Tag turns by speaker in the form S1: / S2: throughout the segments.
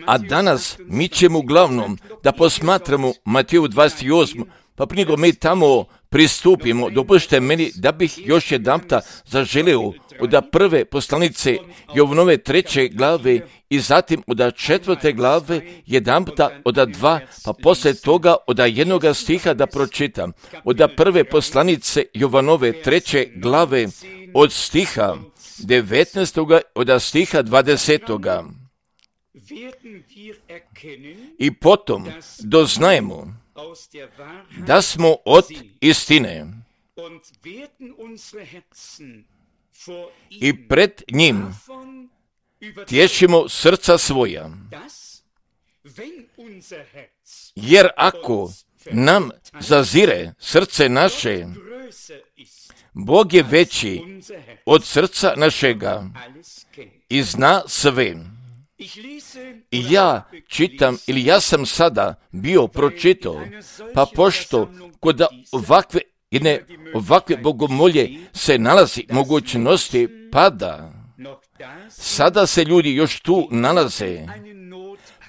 S1: A danas mi ćemo uglavnom da posmatramo Mateju 28, pa prije nego mi tamo pristupimo, dopustite meni da bih još jedanputa zaželio od prve poslanice Jovanove 3. glave i zatim od 4. glave jedanputa od 2, pa poslije toga od 1. stiha da pročitam. Od prve poslanice Jovanove 3. glave od stiha 19. od stiha 20. I potom doznajemo da smo od istine i pred njim tješimo srca svoja. Jer ako nam zazire srce naše, Bog je veći od srca našega i zna sve. I ja čitam, ili ja sam sada bio pročitao, pa pošto kod ovakve bogomolje se nalazi mogućnosti pada, sada se ljudi još tu nalaze,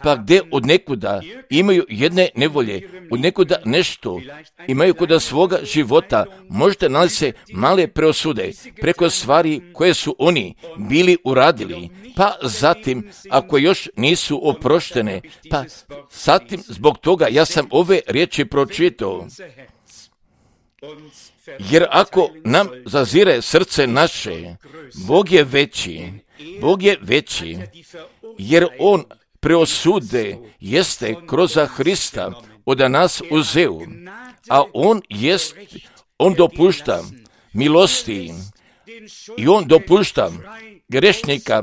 S1: pa gdje od nekuda imaju jedne nevolje, od nekuda nešto imaju kod svoga života, možda nalaze male preosude preko stvari koje su oni bili uradili, pa zatim ako još nisu oproštene, pa zatim zbog toga ja sam ove riječi pročitao. Jer ako nam zazire srce naše, Bog je veći, jer On preosude jeste kroz Hrista od nas uzeo, a on dopušta milosti i on dopušta grešnika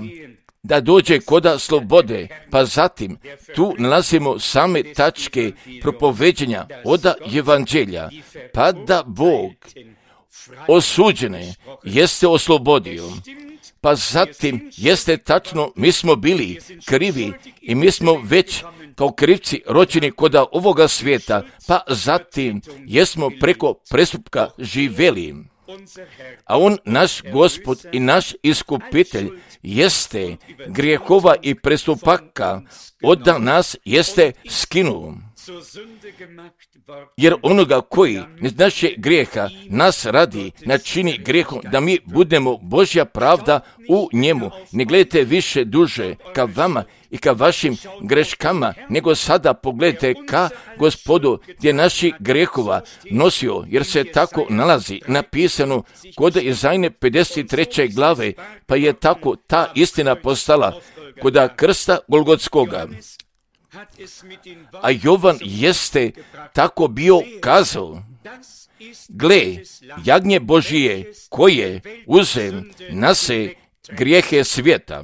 S1: da dođe koda slobode, pa zatim tu nalazimo same tačke propoveđenja od evanđelja, pa da Bog osuđene jeste oslobodio. Pa zatim jeste tačno, mi smo bili krivi i mi smo već kao krivci rođeni kod ovoga svijeta, pa zatim jesmo preko prestupka živjeli. A On, naš Gospod i naš iskupitelj, jeste grijehova i prestupaka od nas jeste skinuo. Jer onoga koji iz naše grijeha nas radi, načini grijehom da mi budemo Božja pravda u njemu. Ne gledajte više duže ka vama i ka vašim greškama, nego sada pogledajte ka Gospodu gdje naši grijehova nosio, jer se tako nalazi napisano kod Izajne 53. glave, pa je tako ta istina postala kod krsta Golgotskoga. A Jovan jeste tako bio kazao: gle, jagnje Božije koje uze na se grijehe svijeta.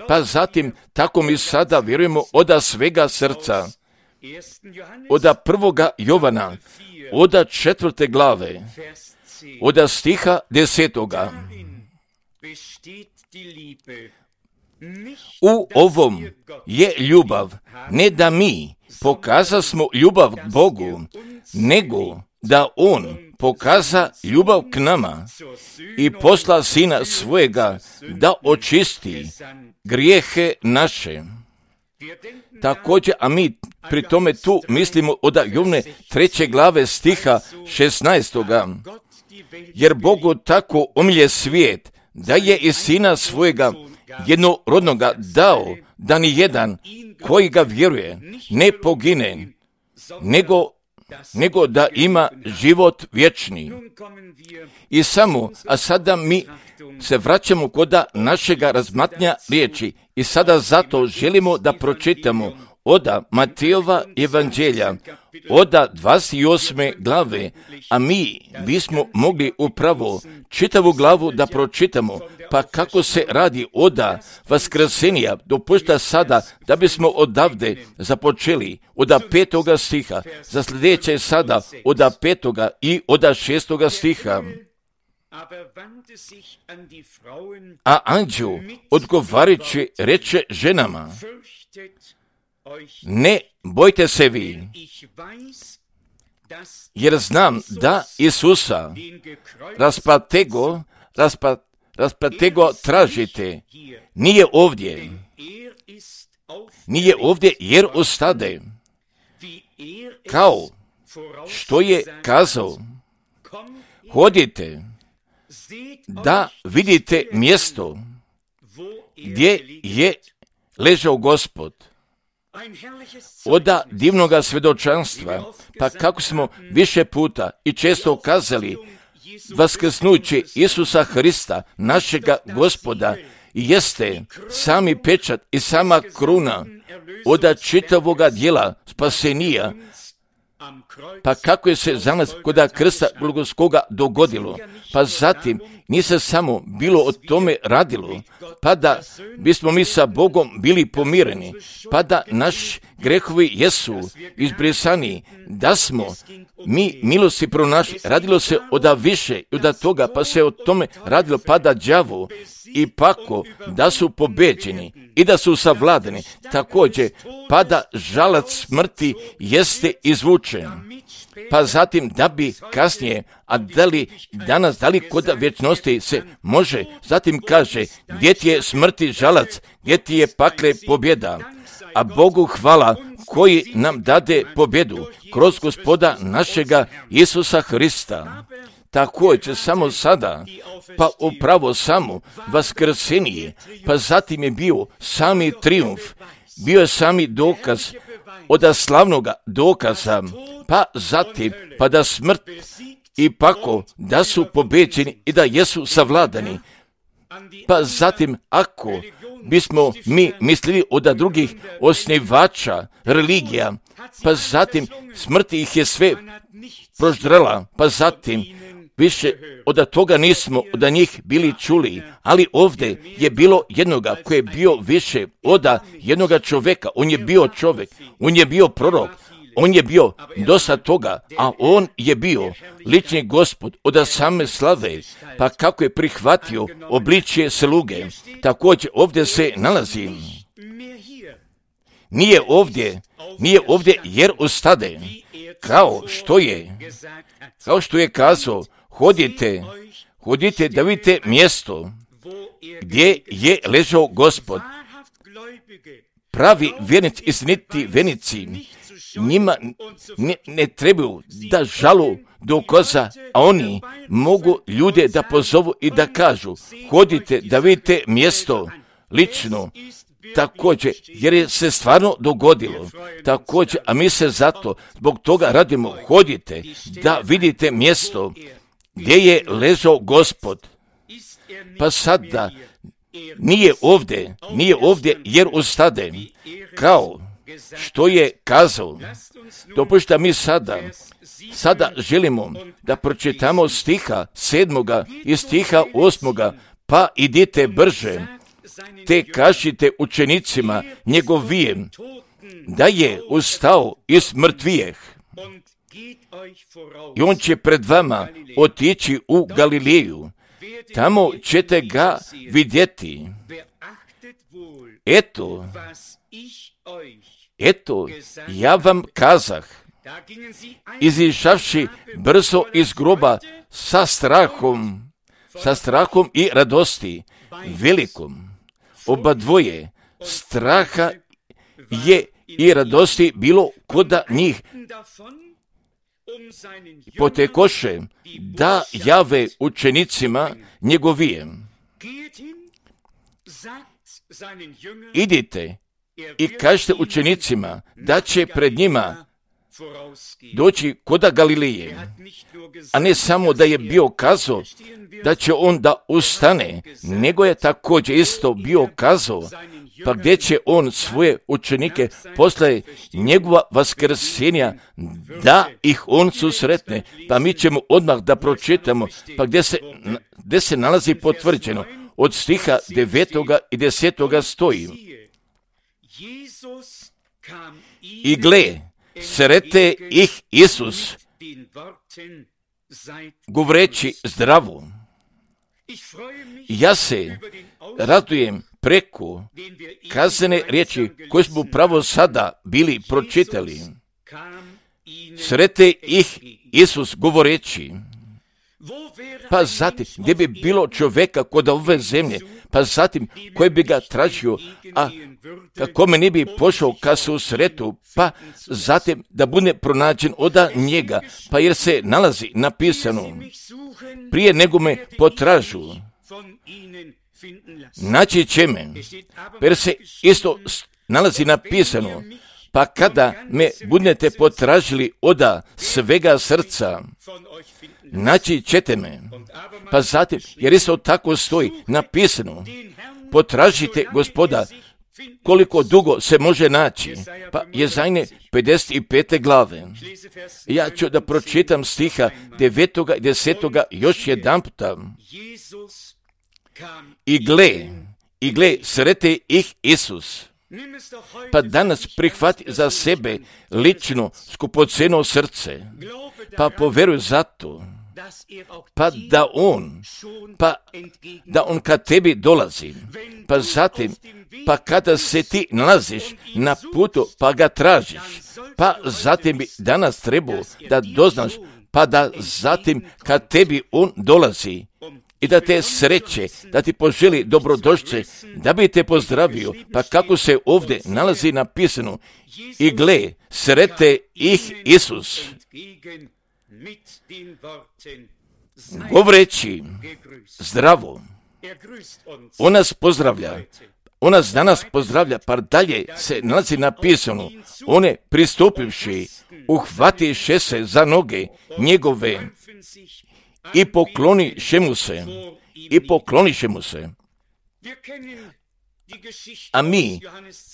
S1: Pa zatim tako mi sada vjerujemo od svega srca. Od 1. Jovana, od 4. glave, od stiha 10. U ovom je ljubav, ne da mi pokazasmo ljubav k Bogu, nego da On pokaza ljubav k nama i posla Sina svojega da očisti grijehe naše. Također, a mi pri tome tu mislimo od Jovne 3. glave stiha 16. Jer Bogu tako omilje svijet, da je i Sina svojega jednorodnoga dao, da ni jedan koji ga vjeruje ne pogine, nego da ima život vječni. I a sada mi se vraćamo kod našega razmatranja riječi i sada zato želimo da pročitamo od Matejova evanđelja, od 28. glave, a mi bismo mogli upravo čitavu glavu da pročitamo, pa kako se radi od vaskrsenja, dopušta sada da bismo odavde započeli od 5. stiha, za sljedeće sada od 5. i od 6. stiha. A anđeo odgovarajući reče ženama: ne bojte se vi, jer znam da Isusa raspratego tražite, nije ovdje. Nije ovdje jer ostade. Kao što je kazao, hodite da vidite mjesto gdje je ležao Gospod. Oda divnoga svjedočanstva, pa kako smo više puta i često kazali, vaskrsnuće Isusa Hrista, našega Gospoda, jeste sami pečat i sama kruna oda čitavoga djela spasenija. Pa kako je se za nas kod krsta Golgotskoga dogodilo, pa zatim nije se samo bilo o tome radilo, pa da bismo mi sa Bogom bili pomireni, pa da naši grehovi jesu izbrisani, da smo mi milosti pronašli. Radilo se oda više i oda toga, pa se o tome radilo, pa da đavo i pako da su pobeđeni i da su savladani, također pa da žalac smrti jeste izvučen, pa zatim da bi kasnije, a da li danas, da li kod vječnosti se može, zatim kaže, gdje ti je smrti žalac, gdje ti je pakle pobjeda, a Bogu hvala koji nam dade pobjedu kroz Gospoda našega Isusa Hrista. Također samo sada, pa upravo samo vaskrsenje, pa zatim je bio sami trijumf, bio je sami dokaz od slavnoga dokaza, pa zatim pa da smrt i pako da su pobeđeni i da jesu savladani. Pa zatim ako bismo mi mislili od drugih osnivača religija, pa zatim smrt ih je sve proždrala, pa zatim više od toga nismo od njih bili čuli, ali ovdje je bilo jednoga koji je bio više od jednoga čovjeka. On je bio čovjek, on je bio prorok, on je bio dosta toga, a on je bio lični Gospod od same slave, pa kako je prihvatio obličje sluge, također ovdje se nalazi. Nije ovdje jer ostade, kao što je kazao, hodite da vidite mjesto gdje je ležao Gospod. Pravi vjernici, istiniti vjernici, njima ne trebaju da žalu dokaza, a oni mogu ljude da pozovu i da kažu, hodite da vidite mjesto lično, također, jer je se stvarno dogodilo, također, a mi se zato zbog toga radimo, hodite da vidite mjesto gdje je ležao Gospod. Pa sada nije ovdje jer ostade, kao što je kazao. Dopušta mi sada želimo da pročitamo stiha 7. i stiha 8. Pa idite brže, te kažite učenicima njegovim da je ustao iz mrtvijeh i on će pred vama otići u Galileju, tamo ćete ga vidjeti. Eto, ja vam kazah, izišavši brzo iz groba sa strahom i radosti velikom. Oba dvoje straha je i radosti bilo kod njih. Potekoše da jave učenicima njegovijem. Idite i kažete učenicima da će pred njima doći kod Galileje, a ne samo da je bio kazao da će on da ustane, nego je također isto bio kazao, pa gdje će on svoje učenike posle njegova vaskrsenja da ih on susretne. Pa mi ćemo odmah da pročitamo, pa gdje se nalazi potvrđeno, od stiha 9. i 10. stoji. I gle, srete ih Isus, govoreći zdravo. Ja se radujem preko kazane riječi koje smo upravo sada bili pročitali. Srete ih Isus govoreći. Pa zatim, gdje bi bilo čovjeka kod ove zemlje, pa zatim, koji bi ga tražio, a kome ne bi pošao ka susretu, pa zatim da bude pronađen od njega, pa jer se nalazi napisano, prije nego me potražu, naći će me, jer se isto nalazi napisano, pa kada me budete potražili od svega srca, naći ćete me. Pa zatim, jer isto tako stoji napisano, potražite Gospoda koliko dugo se može naći. Pa Jezajne 55. glave. Ja ću da pročitam stiha 9. i 10. još jedan puta. I gle, srete ih Isus. Pa danas prihvati za sebe lično skupoceno srce, pa poveruj zato, pa da on kad tebi dolazi, pa zatim, pa kada se ti nalaziš na putu, pa ga tražiš, pa zatim bi danas trebao da doznaš, pa da zatim kad tebi on dolazi, i da te sreće, da ti poželi dobrodošće, da bi te pozdravio, pa kako se ovdje nalazi napisano, i gle, srete ih Isus. Govoreći zdravo, on nas pozdravlja, on nas danas pozdravlja, pa dalje se nalazi napisano, on je pristupivši, uhvatiše se za noge njegove, i pokloniše mu se. A mi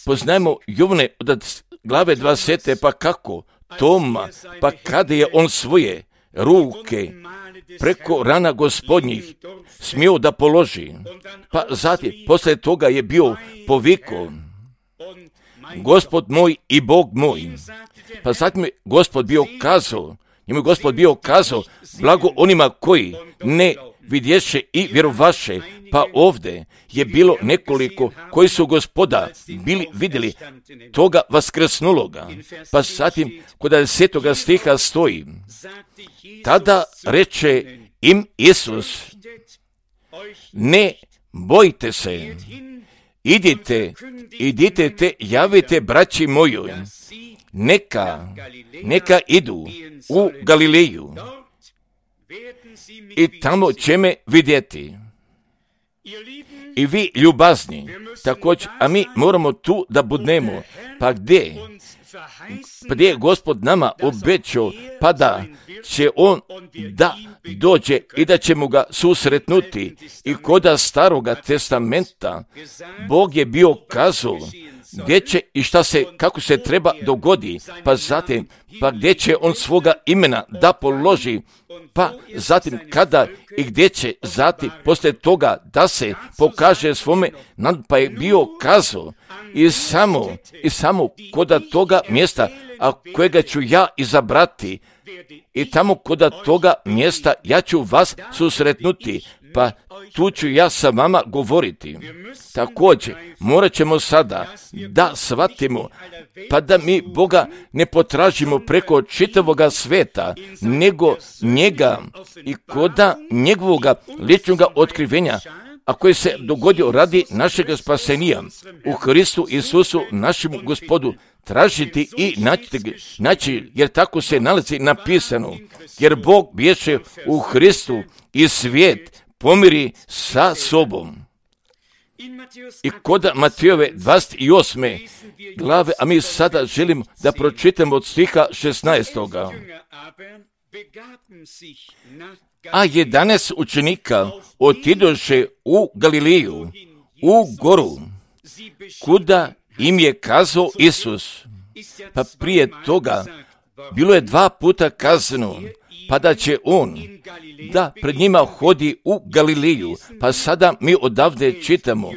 S1: poznajemo Jovane od glave 20. pa kako Toma, pa kada je on svoje ruke preko rana Gospodnjih smio da položi, pa zatim posle toga je bio povikao, Gospod moj i Bog moj. Pa zatim je Gospod bio kazao, blago onima koji ne vidješe i vjerovaše, pa ovdje je bilo nekoliko koji su Gospoda bili vidjeli toga vaskrsnuloga. Pa zatim kod 10. stiha stoji, tada reče im Isus, ne bojte se, idite te javite braći mojoj, neka idu u Galileju i tamo će me vidjeti. I vi ljubazni, također, a mi moramo tu da budnemo, pa gdje je Gospod nama obećao, pa da će on da dođe i da ćemo ga susretnuti. I koda Staroga testamenta Bog je bio kazao gdje će i kako se treba dogodi, pa zatim, pa gdje će on svoga imena da položi, pa zatim kada i gdje će zatim poslije toga da se pokaže svome, pa je bio kazao i samo koda toga mjesta, a kojega ću ja izabrati, i tamo koda toga mjesta ja ću vas susretnuti, pa tu ću ja sa vama govoriti. Također, morat ćemo sada da shvatimo, pa da mi Boga ne potražimo preko čitavoga sveta, nego njega i koda njegovoga ličnoga otkrivenja, a koji se dogodio radi našega spasenija u Hristu Isusu, našemu Gospodu, tražiti i naći, jer tako se nalazi napisano, jer Bog biješe u Hristu i svijet pomiri sa sobom. I kod Matejove 28. glave, a mi sada želimo da pročitamo od stiha 16. A 11 učenika otidoše u Galileju, u goru, kuda im je kazao Isus. Pa prije toga bilo je 2 puta kazano, pa da će on da pred njima hodi u Galileju. Pa sada mi odavde čitamo,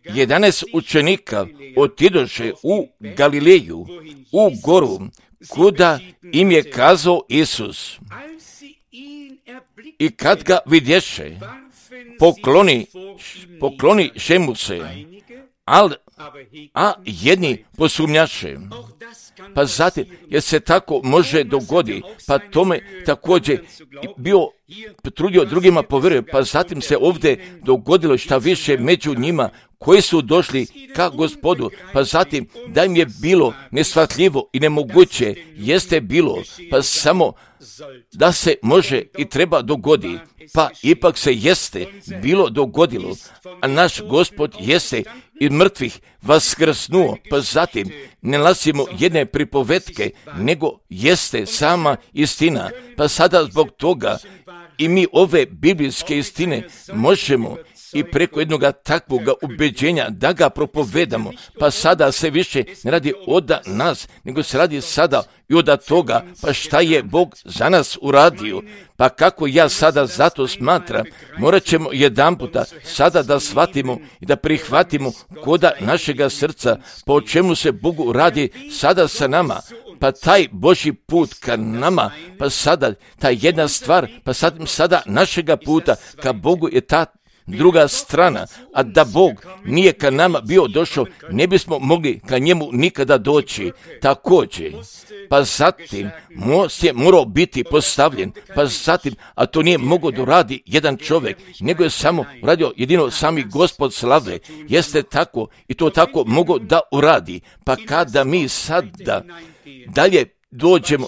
S1: 11 učenika otidoše u Galileju, u goru, kuda im je kazao Isus. I kad ga vidješe, pokloniše mu se, ali a jedni posumnjaše. Pa zatim, jer se tako može dogoditi, pa tome također bio trudio drugima povjeruje, pa zatim se ovdje dogodilo šta više među njima koji su došli ka Gospodu, pa zatim da im je bilo neshvatljivo i nemoguće, jeste bilo, pa samo da se može i treba dogoditi, pa ipak se jeste bilo dogodilo, a naš Gospod jeste i mrtvih vaskrsnuo, pa zatim ne nalazimo jedne pripovetke, nego jeste sama istina, pa sada zbog toga i mi ove biblijske istine možemo i preko jednog takvog ubeđenja da ga propovedamo, pa sada se više ne radi od nas, nego se radi sada i od toga, pa šta je Bog za nas uradio, pa kako ja sada zato smatram, morat ćemo jedanputa sada da shvatimo i da prihvatimo koda našega srca, pa o čemu se Bogu radi sada sa nama, pa taj Božji put ka nama, pa sada ta jedna stvar, pa sada našega puta ka Bogu je ta druga strana, a da Bog nije ka nama bio došao, ne bismo mogli ka njemu nikada doći. Također, pa zatim most je morao biti postavljen, pa zatim, a to nije mogao da radi jedan čovjek, nego je samo radio jedino sami Gospod slave, jeste tako i to tako mogao da uradi. Pa kada mi sada dalje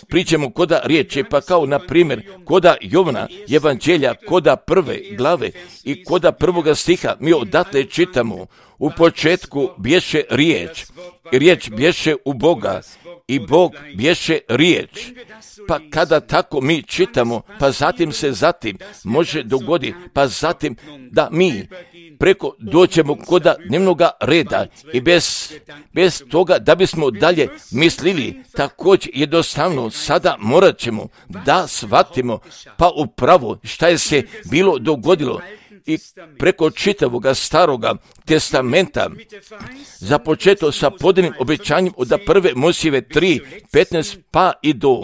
S1: pričamo koda riječi, pa kao na primjer koda Jovana evanđelja, koda prve glave i koda prvoga stiha, mi odatle čitamo, u početku bješe riječ, i riječ bješe u Boga, i Bog bješe riječ. Pa kada tako mi čitamo, pa zatim se može dogoditi, pa zatim da mi preko dođemo koda dnevnoga reda i bez toga da bismo dalje mislili, također jednostavno sada morat ćemo da shvatimo pa upravo šta je se bilo dogodilo i preko čitavoga staroga testamenta započeto sa podanim obećanjem od prve Mojsijeve 3:15 pa i do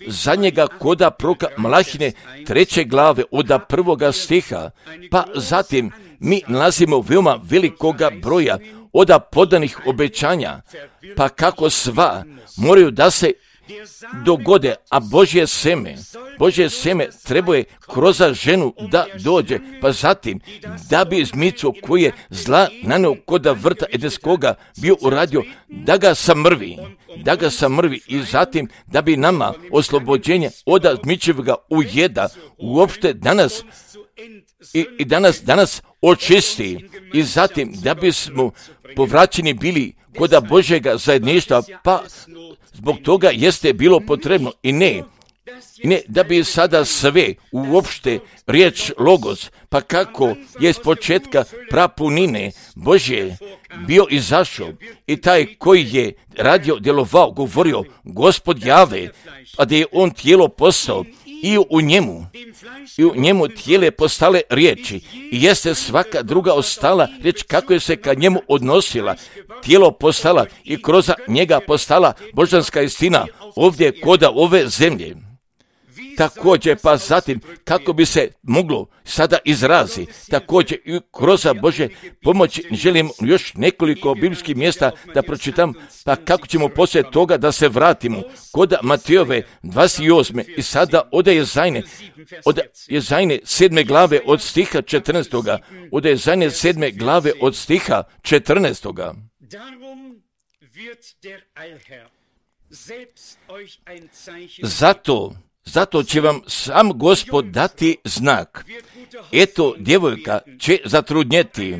S1: zadnjega koda proroka Malahine 3. glave od prvoga stiha, pa zatim mi nalazimo veoma velikoga broja od podanih obećanja, pa kako sva moraju da se dogode, a Božje seme treba je kroz ženu da dođe, pa zatim da bi izmico koji je zla naneo koda vrta edenskoga bio uradio da ga samrvi i zatim da bi nama oslobođenje od zmičevoga ujeda uopšte danas očisti i zatim da bismo povraćeni bili koda Božjega zajedništva, pa zbog toga jeste bilo potrebno i ne da bi sada sve uopšte riječ logos, pa kako je s početka prapunine Božje bio izašao i taj koji je radio, djelovao, govorio Gospod Jave, a da je on tijelo postao i u njemu tijele postale riječi i jeste svaka druga ostala riječ kako je se ka njemu odnosila, tijelo postala i kroz njega postala božanska istina ovdje koda ove zemlje. Također, pa zatim, kako bi se moglo sada izrazi, također i kroz Božje pomoći želim još nekoliko biblijskih mjesta da pročitam, pa kako ćemo poslije toga da se vratimo kod Matejove 28. i sada od Jezajne 7. glave od stiha 14. Od Jezajne 7. glave od stiha 14. Zato će vam sam Gospod dati znak. Eto, djevojka će zatrudnjeti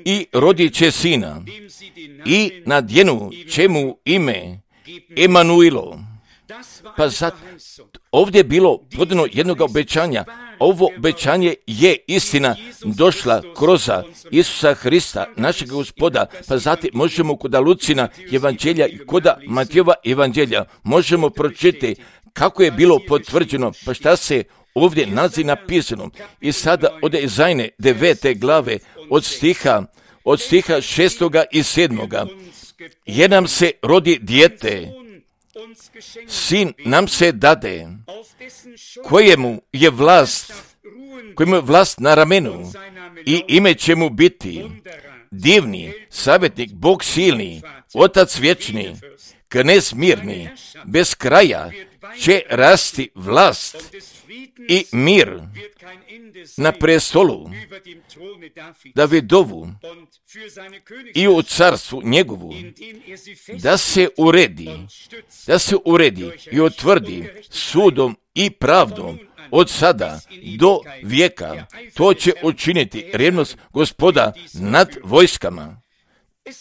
S1: i rodit će sina i nadjenu će mu ime Emanuilo. Pa ovdje je bilo podano jednog obećanja. Ovo obećanje je istina došla kroz Isusa Hrista, našeg Gospoda, pa zatim možemo kod Lucina evanđelja i kod Matejova evanđelja možemo pročitati kako je bilo potvrđeno, pa šta se ovdje nalazi napisano. I sada od Jezajne 9. glave od stiha 6. i 7. Jer nam se rodi dijete, sin nam se dade, kojemu je vlast na ramenu i ime će mu biti divni, savjetnik, Bog silni, Otac vječni, Knez mirni, bez kraja će rasti vlast i mir na prestolu Davidovu i u carstvu njegovu, da se uredi i utvrdi sudom i pravdom od sada do vijeka. To će učiniti revnost Gospoda nad vojskama.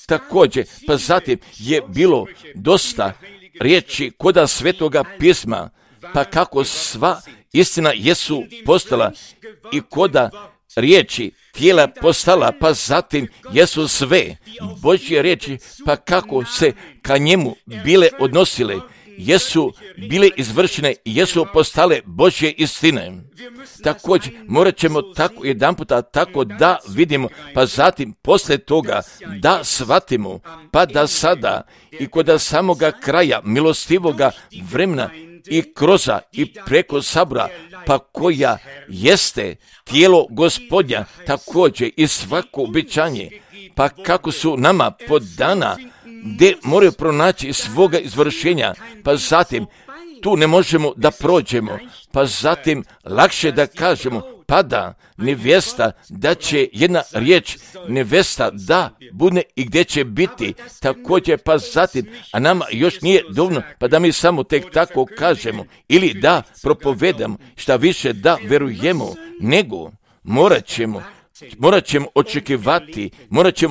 S1: Također, pa zatim je bilo dosta riječi koda Svetoga pisma, pa kako sva istina jesu postala i koda riječi tijela postala, pa zatim jesu sve Božje riječi, pa kako se ka njemu bile odnosile, jesu bile izvršene, jesu postale Božje istine. Također, morat ćemo tako jedanputa tako da vidimo, pa zatim poslije toga da shvatimo, pa da sada i kod samoga kraja milostivoga vremena i kroza i preko sabora, pa koja jeste tijelo Gospodnja, također i svako obećanje, pa kako su nama podana, gdje moraju pronaći svoga izvršenja, pa zatim tu ne možemo da prođemo, pa zatim lakše da kažemo, pa da nevjesta, da će jedna riječ nevjesta da bude i gdje će biti, također pa zatim, a nama još nije dovoljno, pa da mi samo tek tako kažemo, ili da propovedamo, šta više da verujemo, nego morat ćemo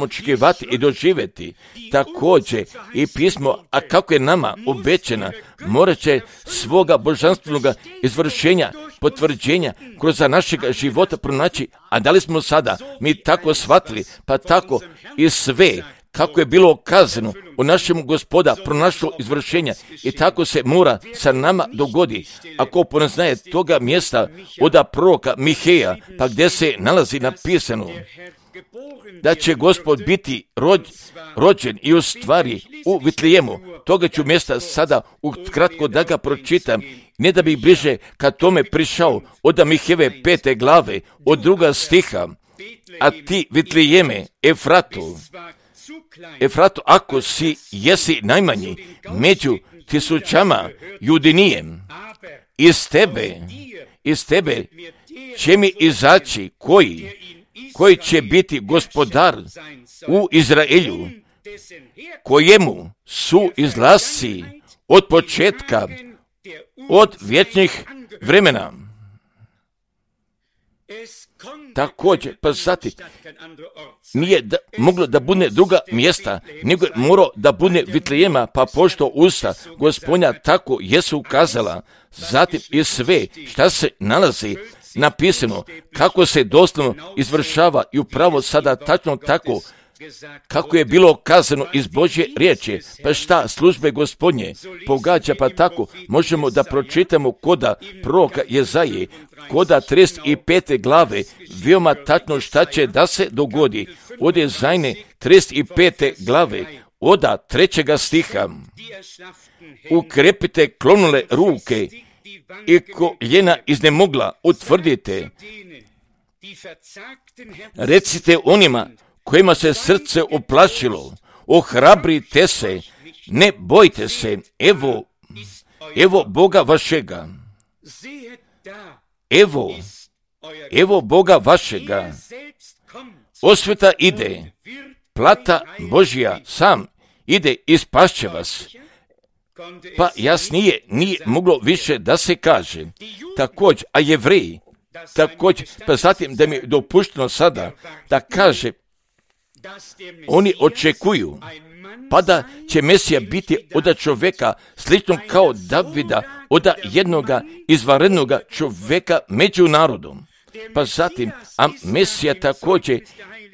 S1: očekivati i doživjeti. Također i pismo, a kako je nama obećana, morat će svoga božanstvenog izvršenja, potvrđenja kroz našega života pronaći, a da li smo sada mi tako shvatili, pa tako i sve kako je bilo kazano u našem Gospoda pronašlo izvršenja i tako se mora sa nama dogodi. Ako poznaje toga mjesta od proroka Miheja, pa gdje se nalazi napisano da će Gospod biti rođen i u stvari u Vitlejemu. Toga ću mjesta sada ukratko da ga pročitam, ne da bih bliže ka tome prišao od Mihejeve 5. glave, od 2. stiha. A ti Vitlejeme, Efratu, ako jesi najmanji među tisućama Judinijem, iz tebe će mi izaći koji će biti gospodar u Izraelju, kojemu su izlasci od početka, od vječnih vremena. Također, pa zatim, nije moglo da bude druga mjesta, nego je morao da bude Vitlejema, pa pošto usta Gospodnja tako jesu ukazala, zatim i sve šta se nalazi napisano, kako se doslovno izvršava i upravo sada tačno tako, kako je bilo kazano iz Božje riječi, pa šta službe Gospodnje pogađa, pa tako možemo da pročitamo koda proroka Jezaje, koda 35. glave, veoma tačno šta će da se dogodi. Od Jezajne 35. glave, od 3. stiha. Ukrepite klonule ruke i koljena iznemogla utvrdite. Recite onima kojima se srce uplašilo, ohrabrite se, ne bojte se, evo Boga vašega. Evo Boga vašega. Osveta ide, plata Božja sam ide i spašće vas. Pa jasnije nije moglo više da se kaže. Također, a Jevreji, također, pa zatim da mi je dopušteno sada da kaže, oni očekuju, pa da će Mesija biti od čovjeka slično kao Davida, od jednoga izvanrednoga čovjeka među narodom. Pa zatim, a Mesija također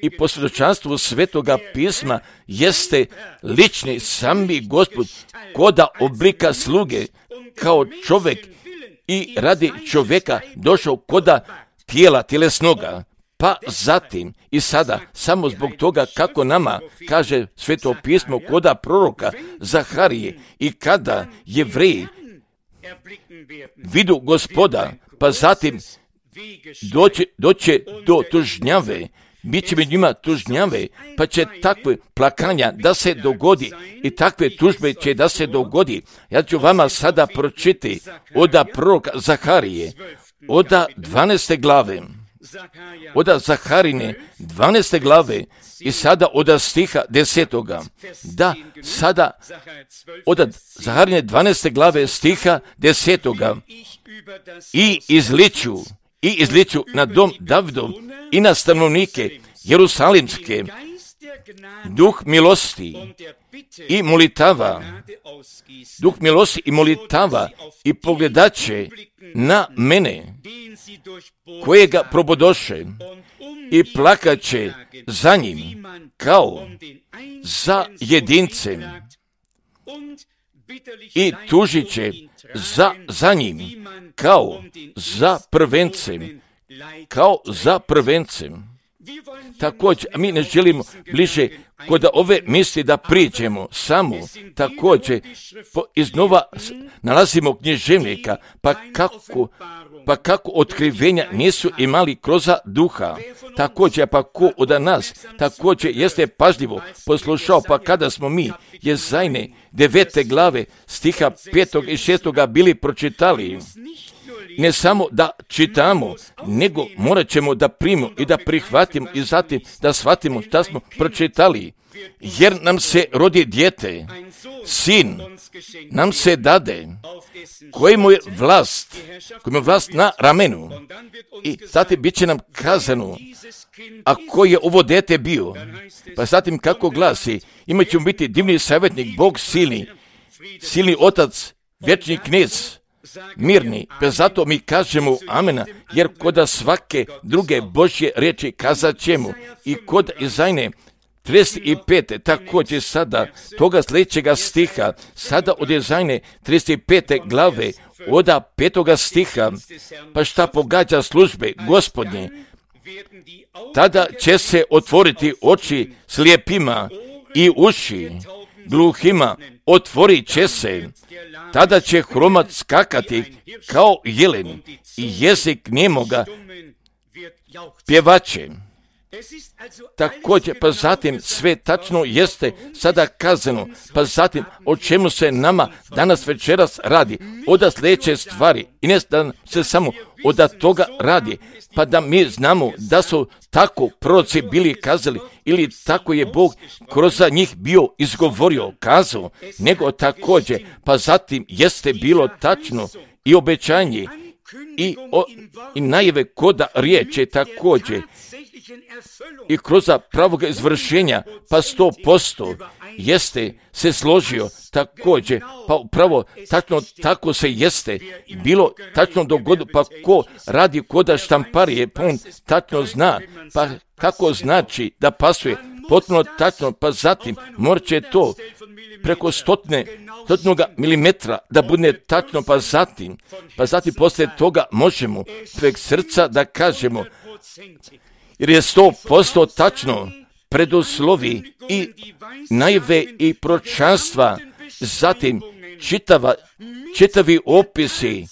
S1: i po svjedočanstvu Svetoga pisma jeste lični sami Gospod koda oblika sluge kao čovjek i radi čovjeka došao koda tijela tjelesnoga. Pa zatim i sada, samo zbog toga kako nama kaže Sveto pismo koda proroka Zaharije i kada Jevreji vidu Gospoda, pa zatim doće do tužnjave, bit će među njima tužnjave, pa će takve plakanja da se dogodi i takve tužbe će da se dogodi. Ja ću vama sada pročiti oda proroka Zaharije, oda 12. glave, oda Zaharine 12. glave i sada oda stiha 10. Da, sada oda Zaharine 12. glave stiha 10. I izliču na dom Davidov i na stanovnike Jerusalimske duh milosti i molitava i pogledaće na mene kojega probodoše i plakaće za njim kao za jedincem i tužit će za njim kao za prvencem. Također, mi ne želimo bliže kod ove misli da priđemo samo. Također, iznova nalazimo književnika, pa kako otkrivenja nisu imali kroz duha. Također, pa ko od nas također jeste pažljivo poslušao, pa kada smo mi Jezajne 9. glave stiha 5. i 6. bili pročitali, ne samo da čitamo, nego morat ćemo da primimo i da prihvatimo i zatim da shvatimo šta smo pročitali. Jer nam se rodi dijete, sin nam se dade, kojemu je vlast na ramenu. I zatim bit će nam kazano, a koji je ovo dijete bio? Pa zatim kako glasi, imat ćemo biti divni savjetnik, Bog silni otac, vječni knez, mirni, pa zato mi kažemo amena, jer kod svake druge Božje riječi kazat ćemo i kod Izajne 35. također sada toga sljedećega stiha, sada od Izajne 35. glave, oda 5. stiha, pa šta pogađa službe Gospodnje, tada će se otvoriti oči slijepima i uši gluhima, otvorit će se, tada će hromat skakati kao jelen i jezik njemoga pjevaće. Također, pa zatim sve tačno jeste sada kazano, pa zatim o čemu se nama danas večeras radi, oda sljedeće stvari i ne da se samo oda toga radi, pa da mi znamo da su tako proroci bili kazali ili tako je Bog kroz njih bio izgovorio, kazao, nego također, pa zatim jeste bilo tačno i obećanje i najave koda riječi također i kroz pravog izvršenja, pa 100% jeste se složio također, pa upravo tačno tako se jeste bilo tačno dogodilo, pa ko radi koda štamparije, pa on tačno zna, pa kako znači da pasuje, potpuno tačno, pa zatim morat će to preko stotnoga milimetra da bude tačno, pa zatim poslije toga možemo prek srca da kažemo, jer je 100% tačno preduslovi i najve i proročanstva, zatim čitavi opisi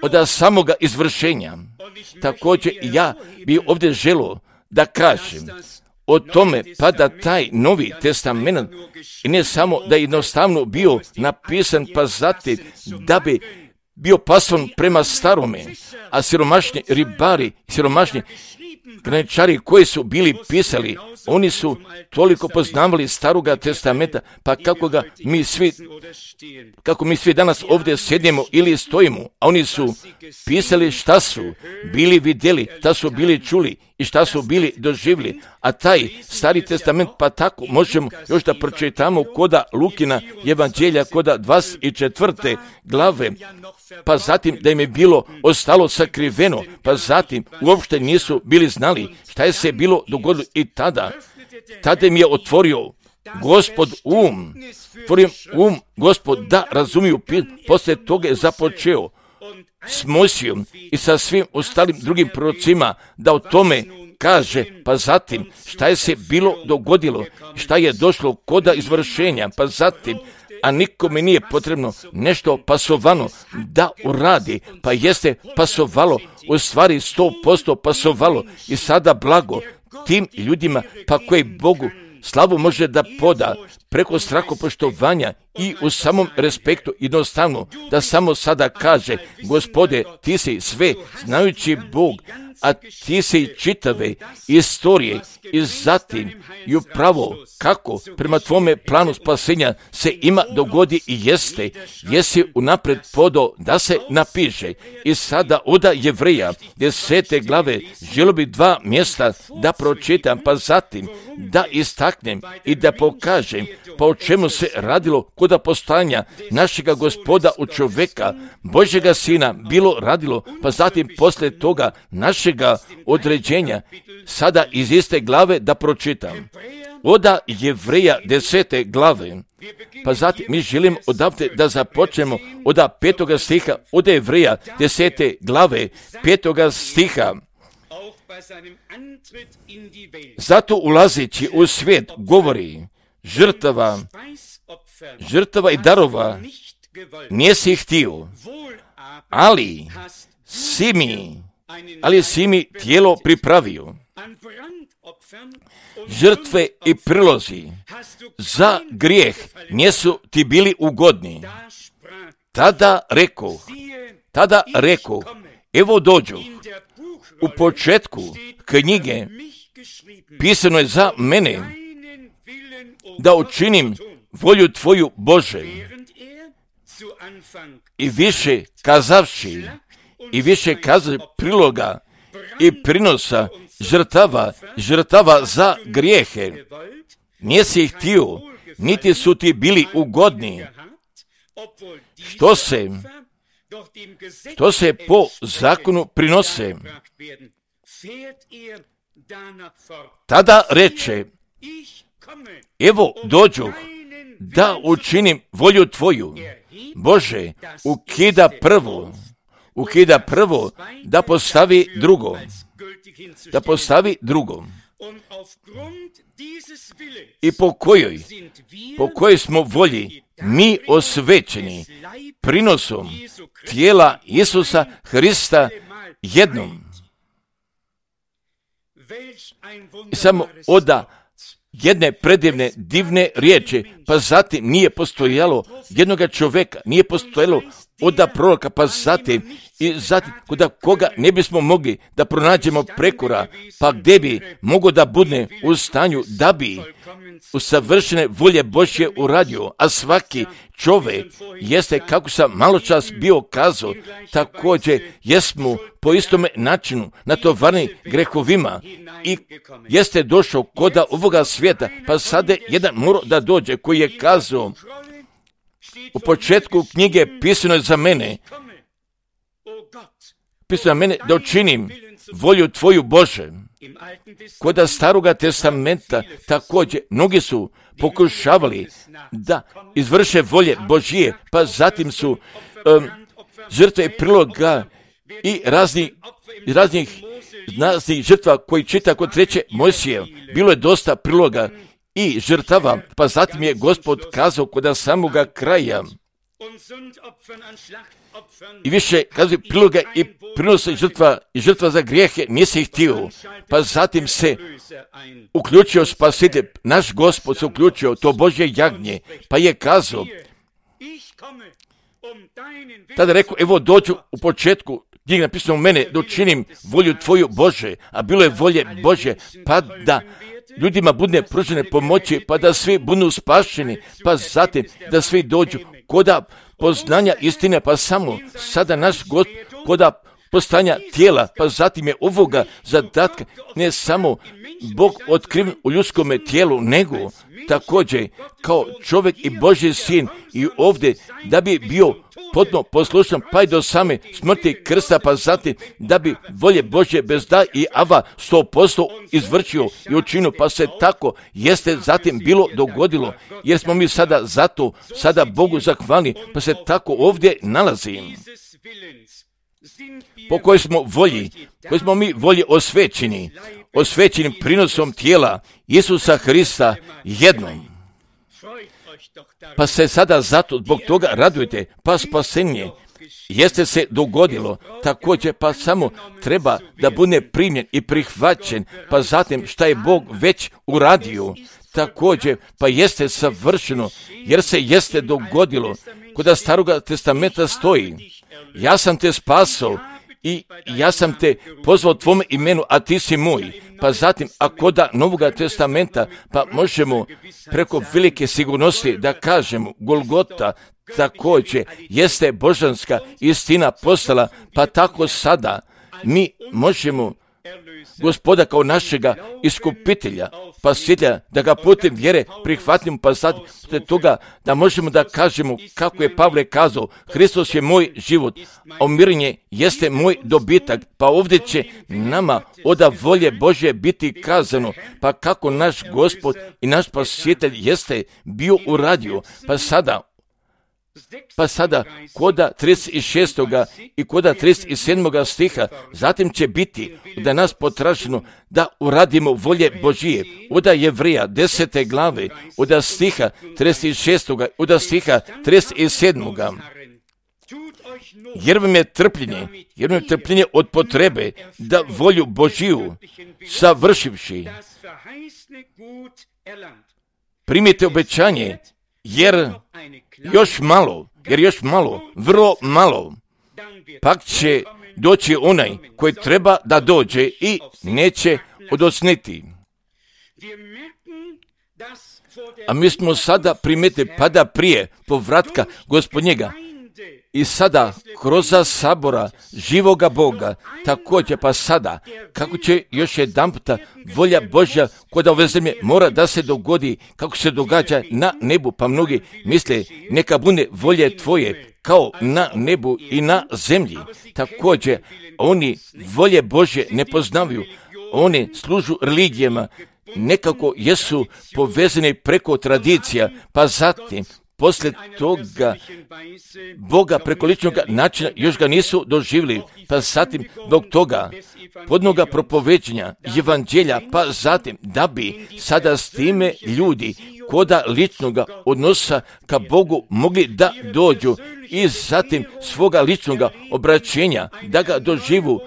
S1: od samoga izvršenja. Također ja bi ovdje želio da kažem o tome, pa da taj Novi testament i ne samo da je jednostavno bio napisan, pa zatim da bi bio pason prema starome, a siromašni ribari, siromašni graničari koji su bili pisali, oni su toliko poznavali Staroga testamenta, pa kako mi svi danas ovdje sjedimo ili stojimo, a oni su pisali šta su bili vidjeli, šta su bili čuli i šta su bili doživjeli, a taj Stari testament, pa tako možemo još da pročitamo koda Lukina evanđelja, koda 24. glave, pa zatim da im je bilo ostalo sakriveno, pa zatim uopšte nisu bili znali šta je se bilo dogodilo i tada im je otvorio Gospod Gospod da razumiju, poslije toga je započeo s Mojsijom i sa svim ostalim drugim prorocima da o tome kaže, pa zatim šta je se bilo dogodilo, šta je došlo koda izvršenja, pa zatim, a nikome nije potrebno nešto pasovano da uradi, pa jeste pasovalo, u stvari 100% pasovalo i sada blago tim ljudima, pa koji Bogu slavu može da poda preko strahopoštovanja i u samom respektu, jednostavno da samo sada kaže: Gospode, ti si sve znajući Bog, a ti si čitave istorije i zatim i upravo kako prema tvome planu spasenja se ima dogodi i jeste, jesi unapred podao da se napiše. I sada od Jevreja 10. glave želio bi 2 mjesta da pročitam, pa zatim da istaknem i da pokažem pa o čemu se radilo kod postojanja našega Gospoda u čoveka, Božjega Sina, bilo radilo, pa zatim poslije toga našega određenja. Sada iz iste glave da pročitam. Od Jevreja 10. glave, pa zatim mi želimo odavde da započnemo od 5. stiha, od Jevreja 10. glave, 5. stiha. Zato ulazeći u svijet govori: žrtava i darova nisi htio, ali si mi tijelo pripravio. Žrtve i prilozi za grijeh nisu ti bili ugodni. Tada rekoh, evo dođu. U početku knjige pisano je za mene da učinim volju tvoju, Bože. I više kazavši priloga i prinosa žrtava za grijehe nisi htio, niti su ti bili ugodni, što se po zakonu prinose. Tada reče: evo dođuh da učinim volju tvoju, Bože. Ukida prvo da postavi drugo. I po kojoj smo volji mi osvećeni prinosom tijela Isusa Hrista jednom. I samo oda jedne predivne, divne riječi, pa zatim nije postojalo jednoga čovjeka, nije postojalo oda proroka, pa zatim kod koga ne bismo mogli da pronađemo prekora, pa gdje bi mogo da bude u stanju da bi u savršene volje Božje uradio, a svaki čovjek jeste, kako sam malo čas bio kazao, također jesmo po istome načinu natovarni grehovima i jeste došao kod ovoga svijeta, pa sada jedan mora da dođe koji je kazao: u početku knjige pisano je za mene da učinim volju tvoju, Bože. Kod Staroga testamenta također mnogi su pokušavali da izvrše volje Božije, pa zatim su žrtve priloga i raznih žrtva koji čita kod 3. Mojsije. Bilo je dosta priloga i žrtava, pa zatim je Gospod kazao kod samoga kraja: i više kaže priloga i prinosa i žrtva za grijehe nisi htio, pa zatim se uključio Spasitelj, naš Gospod se uključio, to Božje jagnje, pa je kazao, tada rekao: evo dođu, u početku knjige napisano u mene da učinim volju tvoju, Bože, a bilo je volje Božje, pa da ljudima bude pružene pomoći, pa da svi budu spašeni, pa zatim da svi dođu koda poznanja istine, pa samo sada naš Gospod koda postanja tijela, pa zatim je ovoga zadatka ne samo Bog otkriven u ljudskome tijelu, nego također kao čovjek i Božji sin i ovdje da bi bio potpuno poslušan pa i do same smrti krsta, pa zatim da bi volje Božje bez da i ava 100% izvršio i učinio, pa se tako jeste zatim bilo dogodilo, jer smo mi sada Bogu zahvalni, pa se tako ovdje nalazim. Po kojoj smo mi volji osvećeni prinosom tijela Isusa Hrista jednom. Pa se sada zato zbog toga radujte, pa spasenje jeste se dogodilo, također pa samo treba da bude primljen i prihvaćen, pa zatim šta je Bog već uradio, također pa jeste savršeno, jer se jeste dogodilo. Kod Staroga testamenta stoji, ja sam te spasao i ja sam te pozvao tvome imenu, a ti si moj. Pa zatim, a kod Novoga testamenta, pa možemo preko velike sigurnosti da kažemo, Golgota također jeste božanska istina postala, pa tako sada mi možemo Gospoda kao našega iskupitelja, spasitelja, da ga putem vjere prihvatimo, pa zatim toga da možemo da kažemo kako je Pavle kazao, Hristos je moj život, a umirenje jeste moj dobitak, pa ovdje će nama od volje Božje biti kazano, pa kako naš Gospod i naš spasitelj jeste bio uradio, pa sada koda 36. i koda 37. stiha, zatim će biti da nas potraženo da uradimo volje Božije. Od Jevrija 10. glave, od stiha 36. od stiha 37. Jer vam je trpljenje od potrebe da volju Božiju savršivši primite obećanje, jer još malo, vrlo malo, pak će doći onaj koji treba da dođe i neće odosniti. A mi smo sada primetili, pada prije povratka Gospodnjega i sada kroz sabora živoga Boga, također pa sada, kako će još jedan puta volja Božja kod ove zemlje mora da se dogodi kako se događa na nebu, pa mnogi misle neka bude volje tvoje kao na nebu i na zemlji. Također oni volje Božje ne poznaju, oni služu religijama, nekako jesu povezani preko tradicija, pa zatim poslije toga Boga preko ličnog načina još ga nisu doživjeli, pa zatim zbog toga podnoga propoveđenja evanđelja, pa zatim da bi sada s time ljudi koda ličnog odnosa ka Bogu mogli da dođu i zatim svoga ličnog obraćenja da ga doživu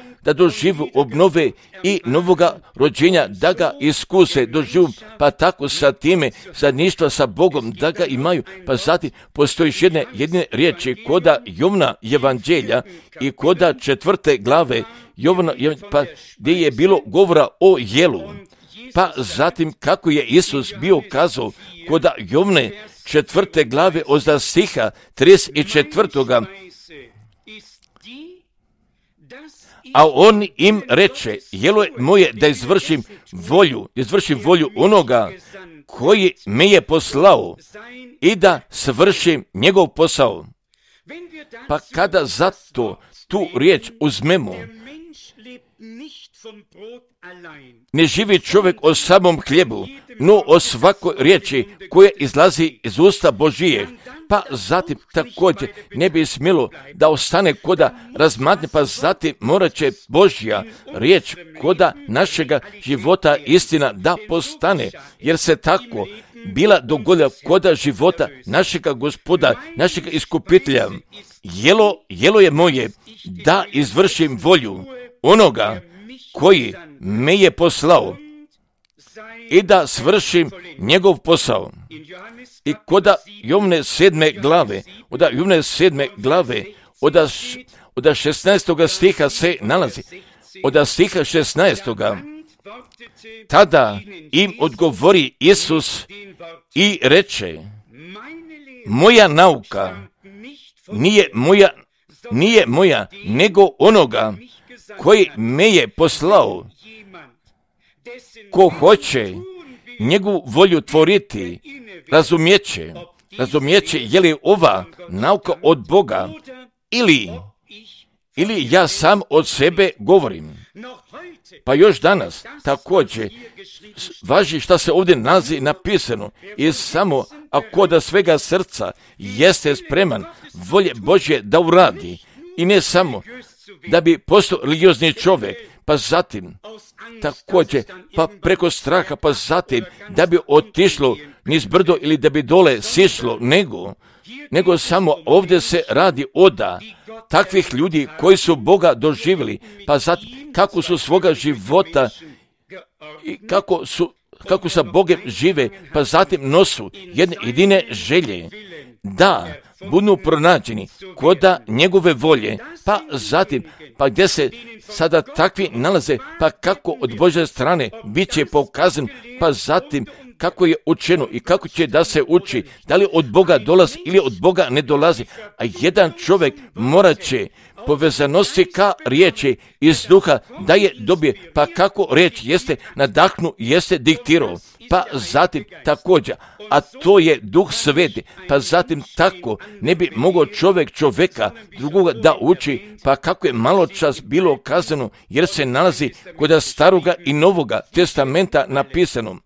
S1: obnove i novoga rođenja, da ga iskuse, doživu, pa tako sa time zajedništva sa Bogom, da ga imaju, pa zatim postoji jedne riječi koda Jovna evanđelja i koda 4. glave Jovna, pa gdje je bilo govora o jelu, pa zatim kako je Isus bio kazao koda Jovne 4. glave od stiha 34. A on im reče, jelo je moje da izvršim volju onoga koji me je poslao i da svršim njegov posao. Pa kada zato tu riječ uzmemo, ne živi čovjek o samom hljebu, no o svakoj riječi koja izlazi iz usta Božije. Pa zatim također ne bi smjelo da ostane koda razmatne, pa zatim morat će Božja riječ koda našega života istina da postane, jer se tako bila dogodila koda života našega Gospoda, našega iskupitelja. Jelo je moje da izvršim volju onoga koji me je poslao i da svršim njegov posao. I koda Jovne 7. glave, od 16. stiha se nalazi, od stiha 16. Tada im odgovori Isus i reče, moja nauka nije moja, nego onoga koji me je poslao. Ko hoće njegovu volju tvoriti, razumijeće je li ova nauka od Boga ili ja sam od sebe govorim. Pa još danas također važi šta se ovdje nalazi napisano i samo ako da svega srca jeste spreman volje Božje da uradi i ne samo da bi postao religiozni čovjek, pa zatim također, pa preko straha, pa zatim da bi otišlo niz brdo ili da bi dole sišlo, nego samo ovdje se radi oda takvih ljudi koji su Boga doživjeli, pa zatim kako su svoga života i kako sa Bogom žive, pa zatim nosu jedne jedine želje, da budu pronađeni koda njegove volje, pa zatim, pa gdje se sada takvi nalaze, pa kako od Božje strane bit će pokazan, pa zatim kako je učeno i kako će da se uči, da li od Boga dolazi ili od Boga ne dolazi, a jedan čovjek morat će povezanosti ka riječi iz duha da je dobije, pa kako riječ jeste nadahnu, jeste diktirao, pa zatim također, a to je Duh Sveti, pa zatim tako ne bi mogao čovjeka drugoga da uči, pa kako je malo čas bilo kazano, jer se nalazi kod Staroga i Novoga testamenta napisano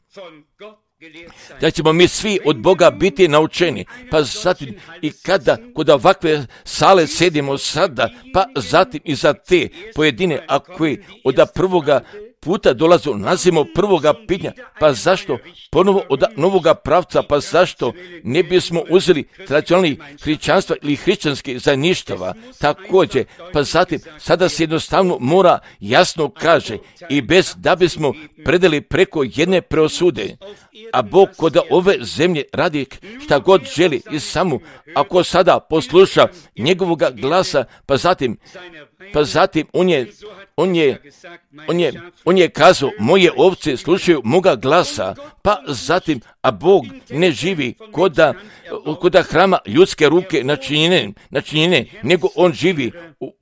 S1: da ćemo mi svi od Boga biti naučeni, pa zatim i kada kod ovakve sale sedimo sada, pa zatim i za te pojedine, a koji od prvoga puta dolazu, nazimo prvoga pitanja, pa zašto ponovo od novoga pravca, pa zašto ne bismo uzeli tradicionalni hrišćanstva ili hrišćanski zajedništava, također, pa zatim sada se jednostavno mora jasno kaže i bez da bismo predali preko jedne preosude, a Bog kod ove zemlje radi šta god želi i samo ako sada posluša njegovoga glasa, pa zatim on je kazao, moje ovce slušaju moga glasa, pa zatim, a Bog ne živi koda hrama ljudske ruke načinjene, nego on živi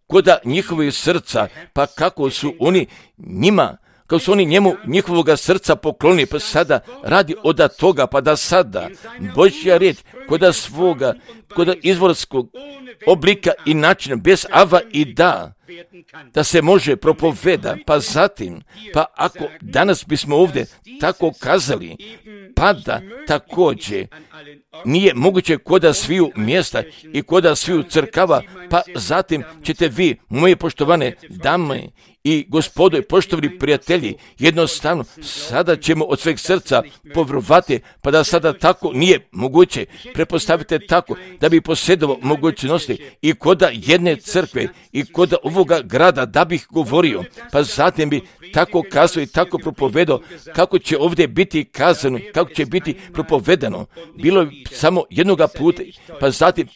S1: koda njihovih srca, pa kako su oni njemu njihovoga srca pokloni, pa sada radi od toga, pa da sada Božja riječ koda izvorskog oblika i načina, bez ava i da se može propoveda, pa zatim, pa ako danas bismo ovdje tako kazali, pa da također nije moguće koda sviju mjesta i koda sviju crkava, pa zatim ćete vi, moje poštovane dame i gospodo i poštovani prijatelji, jednostavno sada ćemo od sveg srca povjerovati, pa da sada tako nije moguće. Prepostavite tako da bi posjedovao mogućnosti i koda jedne crkve i koda ovoga grada da bih govorio, pa zatim bi tako kazao i tako propovedao kako će ovdje biti kazano, kako će biti propovedano. Bilo je samo jednoga puta, pa zatim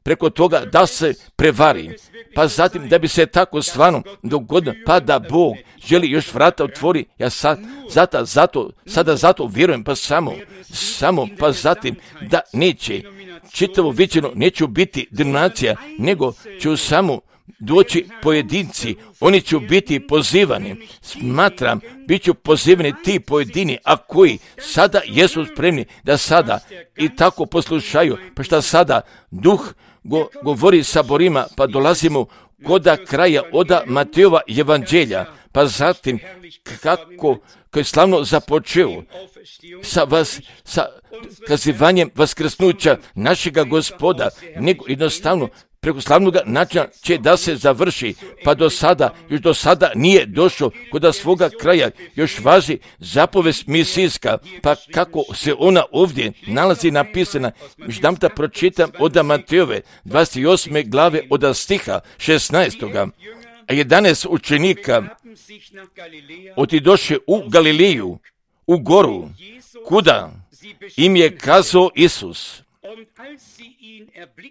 S1: preko toga da se prevari, pa zatim da bi se tako stvarno dogodilo, pa da Bog želi još vrata otvori, ja sada zato vjerujem, pa samo, pa zatim da neće, čitavo viđeno neću biti denominacija, nego ću samo doći pojedinci, oni će biti pozivani, smatram, bit ću pozivani ti pojedini, a koji sada jesu spremni da sada i tako poslušaju, pa šta sada Duh govori saborima, pa dolazimo koda kraja oda Matejova evanđelja, pa zatim kako je slavno započeo sa kazivanjem vaskrsnuća našega Gospoda, nego jednostavno preko slavnog načina će da se završi, pa još do sada nije došlo kod svoga kraja, još važi zapovest misijska, pa kako se ona ovdje nalazi napisana, još dam da pročitam od Matejove 28. glave od stiha 16. A 11 učenika otidoše u Galileju, u goru, kuda im je kazao Isus.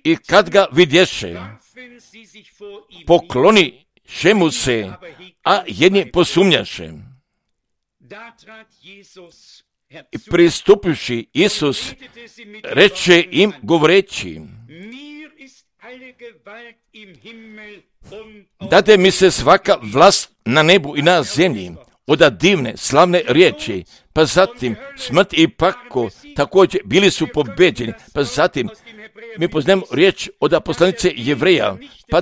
S1: I kad ga vidješe, pokloniše mu se, a jedni posumnjaše. I pristupivši Isus, reče im govoreći, dade mi se svaka vlast na nebu i na zemlji, od divne, slavne riječi, pa zatim smrt i pakao također bili su pobeđeni, pa zatim mi poznajemo riječ od poslanice Jevreja, pa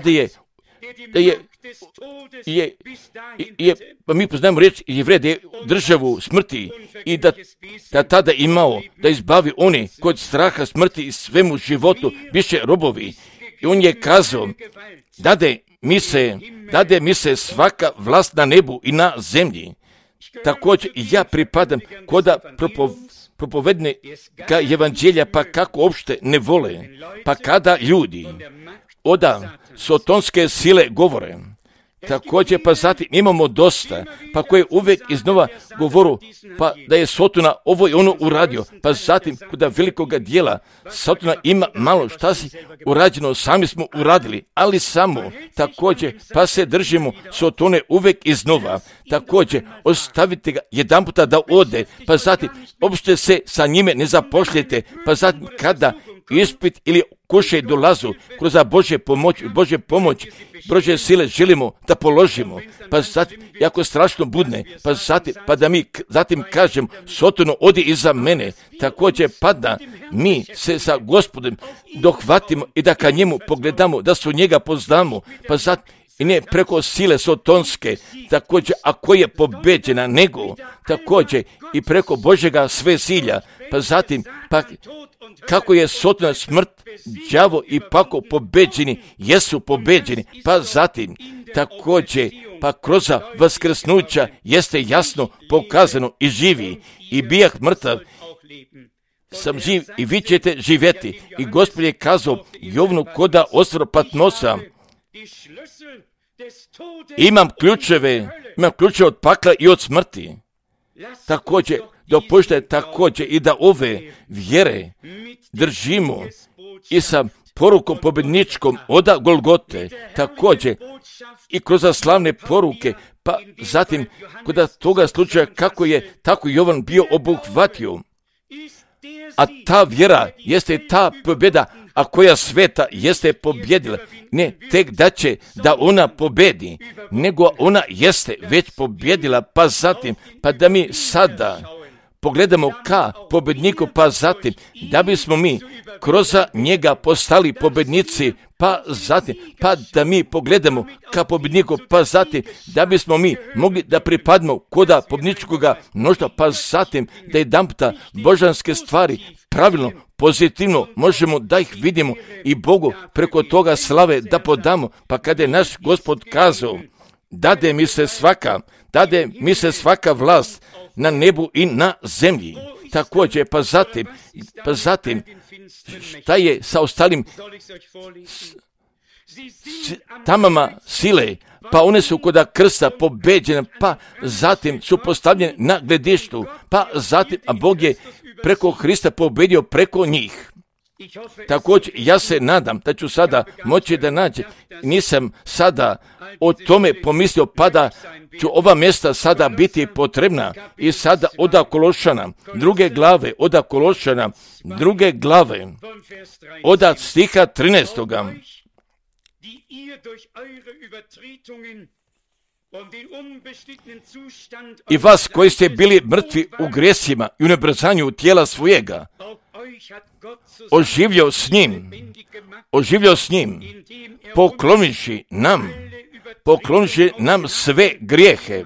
S1: pa mi poznajemo riječ Jevreja da je državu smrti i da tada imao da izbavi oni kod straha smrti i svemu životu više robovi. I on je kazao, dade dade mi se svaka vlast na nebu i na zemlji. Također ja pripadam koda propovednika evanđelja, pa kako uopšte ne vole, pa kada ljudi oda sotonske sile govore, također pa zatim imamo dosta, pa koje uvijek iznova govoru, pa da je Sotona ovo i ono uradio, pa zatim kuda velikoga dijela Sotona ima malo šta si urađeno, sami smo uradili, ali samo također pa se držimo Sotone uvijek iznova, također ostavite ga jedan puta da ode, pa zatim uopšte se sa njime ne zapošljete, pa zatim kada ispit ili kušaj dolazu kroz Božje pomoć, Božje sile želimo da položimo, pa zatim, jako strašno budne, pa zatim, pa da mi zatim kažem, Sotono, odi iza mene, također pa da mi se sa Gospodom dohvatimo i da ka njemu pogledamo, da su njega poznamo, pa zatim, i ne preko sile sotonske, također ako je pobeđena, nego također i preko Božjega svesilja, pa zatim, pa kako je Sotona, smrt, đavo i pako pobeđeni, jesu pobeđeni, pa zatim također, pa kroz vaskrsnuća jeste jasno pokazano i živi, i bijah mrtav, sam živ i vi ćete živjeti. I Gospod je kazao Jovnu koda osvor Patmosa, imam ključeve od pakla i od smrti. Također, dopuštajte također i da ove vjere držimo i sa porukom pobjedničkom oda Golgote, također i kroz slavne poruke, pa zatim kod toga slučaja kako je tako Jovan bio obuhvatio. A ta vjera jeste ta pobjeda, a koja sveta jeste pobjedila. Ne tek da će da ona pobjedi, nego ona jeste već pobjedila, pa zatim, pa da mi sada pogledamo ka pobjedniku, pa zatim, da bismo mi kroz njega postali pobjednici, pa zatim, pa da mi pogledamo ka pobjedniku, pa zatim, da bismo mi mogli da pripadimo koda pobjedničkoga mnoštva, pa zatim, da jedanputa božanske stvari pravilno, pozitivno možemo da ih vidimo i Bogu preko toga slave da podamo, pa kada je naš Gospod kazao, dade mi se svaka vlast na nebu i na zemlji. Također, pa zatim, šta je sa ostalim tamama sile, pa one su koda krsta pobeđene, pa zatim su postavljene na gledištu, pa zatim, a Bog je preko Hrista pobedio preko njih. Također, ja se nadam da ću sada moći da nađem, nisam sada o tome pomislio, pa da ću ova mjesta sada biti potrebna i sada oda Kološana, druge glave, oda stiha 13. I vas koji ste bili mrtvi u grijesima i u nebrzanju tijela svojega, oživio s njim, poklonivši nam sve grijehe.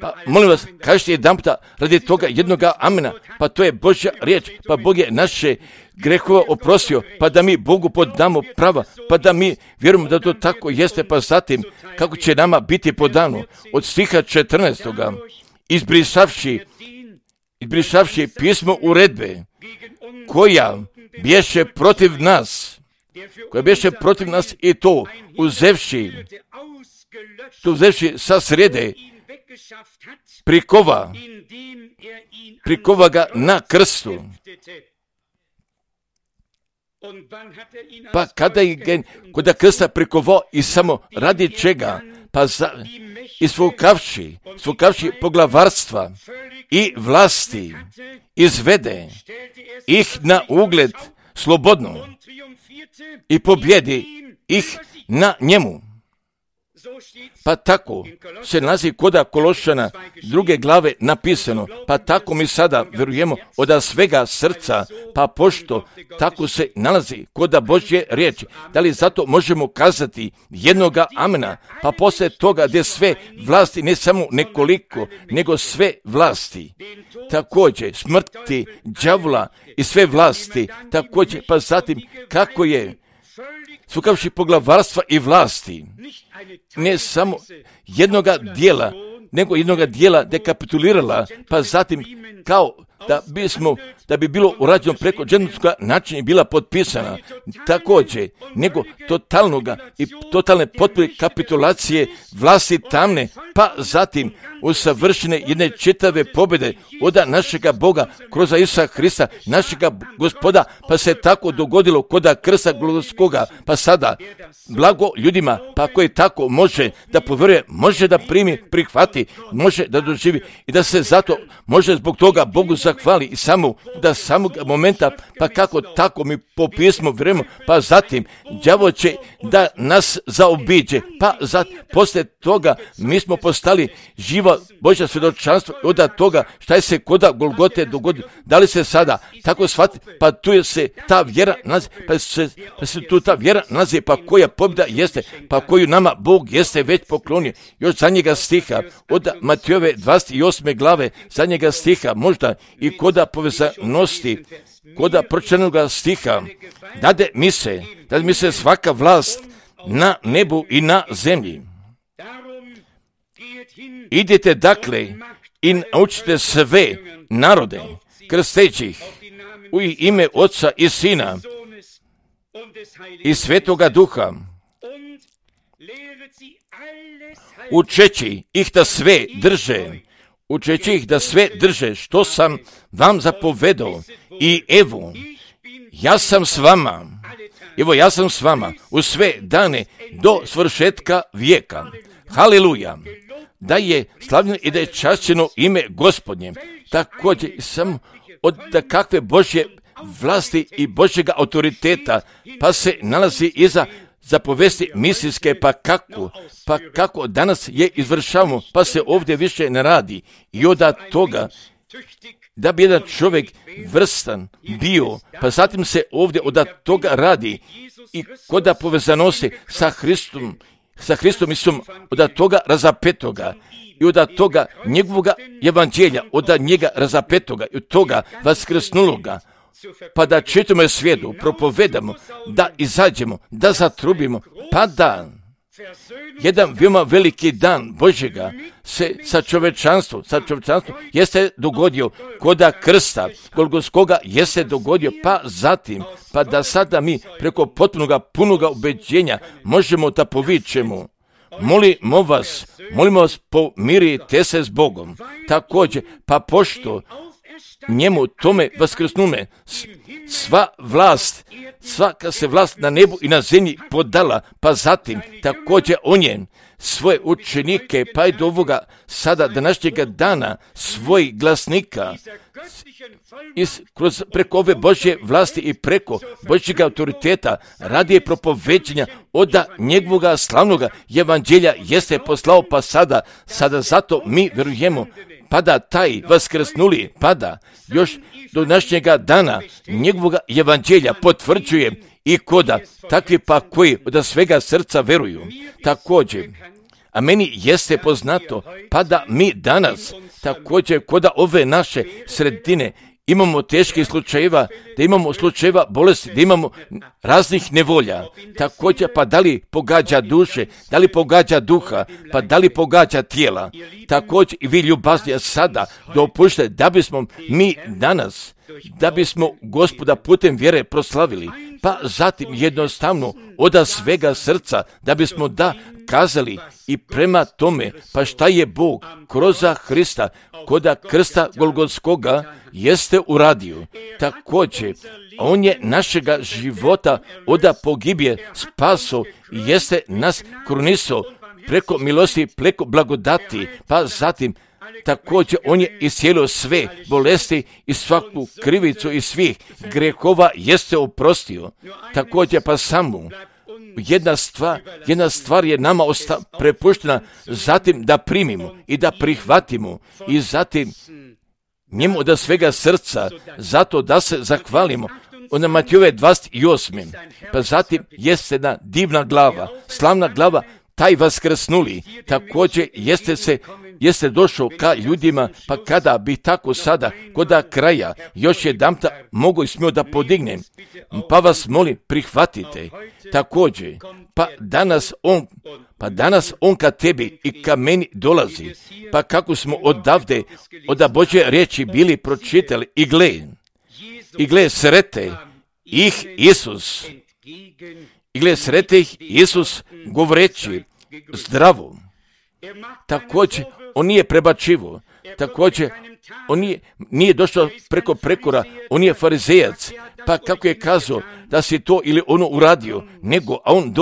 S1: Pa molim vas, kažete jedan puta radi toga jednoga amena, pa to je Božja riječ, pa Bog je naše grehova oprostio, pa da mi Bogu podamo prava, pa da mi vjerujemo da to tako jeste, pa zatim kako će nama biti podano. Od stiha 14. Izbrisavši pismo uredbe koja bješe protiv nas i to uzevši sa srede prikova ga na krstu. Pa kada je kod krsta prikovao i samo radi čega, pa svukavši poglavarstva i vlasti, izvede ih na ugled slobodno i pobjedi ih na njemu. Pa tako se nalazi koda Kološana druge glave napisano, pa tako mi sada vjerujemo od svega srca, pa pošto tako se nalazi koda Božje riječi, da li zato možemo kazati jednoga amena, pa poslije toga gdje sve vlasti, ne samo nekoliko, nego sve vlasti, također smrti, đavola i sve vlasti, također pa zatim kako je sukavši poglavarstva i vlasti, ne samo jednoga dijela, nego jednoga dijela dekapitulirala, pa zatim kao da bi bilo urađeno preko dženevskoga načina i bila potpisana, također, nego totalne potpune kapitulacije vlasti tamne, pa zatim usavršene jedne čitave pobjede od našega Boga kroz Isusa Hrista, našega Gospoda, pa se tako dogodilo koda krsta Golgotskoga, pa sada blago ljudima, pa koji tako može da povjeruje, može da primi, prihvati, može da doživi i da se zato može zbog toga Bogu zahvali i samog momenta, pa kako tako mi po pismu vjerujemo, pa zatim đavo će da nas zaobiđe, pa poslije toga mi smo postali živo Božja svjedočanstvo od toga šta je se koda Golgote dogodilo. Da li se sada tako shvati, pa tu se ta vjera nalazi, pa se tu ta vjera nalazi, pa koja pobjeda jeste, pa koju nama Bog jeste već poklonio. Još zadnjega stiha od Matejove 28. glave, zadnjega stiha, možda i koda povezanosti, koda pročitanoga stiha, dade mi se svaka vlast na nebu i na zemlji. Idite dakle i naučite sve narode, krsteći ih u ime Oca i Sina i Svetoga Duha, učeći ih da sve drže, što sam vam zapovedao, i evo, ja sam s vama u sve dane do svršetka vijeka. Haleluja! Da je slavljeno i da je čašćeno ime Gospodnje, također samo od kakve Božje vlasti i Božjega autoriteta, pa se nalazi iza zapovesti misijske, pa kako danas je izvršavamo, pa se ovdje više ne radi. I od toga da bi jedan čovjek vrstan bio, pa zatim se ovdje od toga radi i koda povezanosti sa Hristom Isusom, od toga razapetoga i od toga njegovoga evanđelja, od njega razapetoga i od toga vaskrsnuloga, pa da čitamo svijetu, propovedamo, da izađemo, da zatrubimo, pa da jedan veoma veliki dan Božjega se sa čovečanstvom jeste dogodio koda krsta Golgotskoga jeste dogodio, pa zatim, pa da sada mi preko potpunoga punoga ubeđenja možemo da povičemo: molimo vas, pomirite se s Bogom. Također, pa pošto njemu tome vaskrsnume svaka se vlast na nebu i na zemlji podala, pa zatim također on je svoje učenike, pa i do ovoga sada današnjega dana svojih glasnika preko ove Božje vlasti i preko Božjega autoriteta radi propoveđenja od njegovoga slavnoga evanđelja jeste poslao, pa sada zato mi vjerujemo, pa da taj vaskrsnuli, pa da još do današnjega dana njegovoga evanđelja potvrđuje i koda takvi pa koji od svega srca veruju. Također, a meni jeste poznato, pa da mi danas također koda ove naše sredine imamo teških slučajeva, da imamo slučajeva bolesti, da imamo raznih nevolja. Također, pa da li pogađa duše, da li pogađa duha, pa da li pogađa tijela. Također i vi ljubazni sada dopušte da bismo mi danas, da bismo Gospoda putem vjere proslavili, pa zatim jednostavno od svega srca, da bismo kazali i prema tome, pa šta je Bog kroz Hrista, koda krsta Golgotskoga jeste uradio. Također, on je našega života od pogibije spaso i jeste nas krunisao preko milosti, preko blagodati, pa zatim također on je iscijelio sve bolesti i svaku krivicu i svih grehova jeste oprostio. Također pa samo jedna stvar je nama prepuštena, zatim da primimo i da prihvatimo i zatim njemu od svega srca, zato da se zahvalimo. Ona Matejove 28. Pa zatim jeste jedna divna glava, slavna glava, taj vaskrsnuli, također jeste se jeste došao ka ljudima, pa kada bi tako sada, koda kraja, još jedanputa mogu i smio da podignem, pa vas molim, prihvatite. Također, pa danas on ka tebi i ka meni dolazi, pa kako smo odavde, od Božje riječi bili pročitali i gle srete ih Isus govoreći zdravo. Također, on nije prebačivo. Također, on nije došao preko prekora, on je farizejac. Pa kako je kazao da si to ili ono uradio, nego a on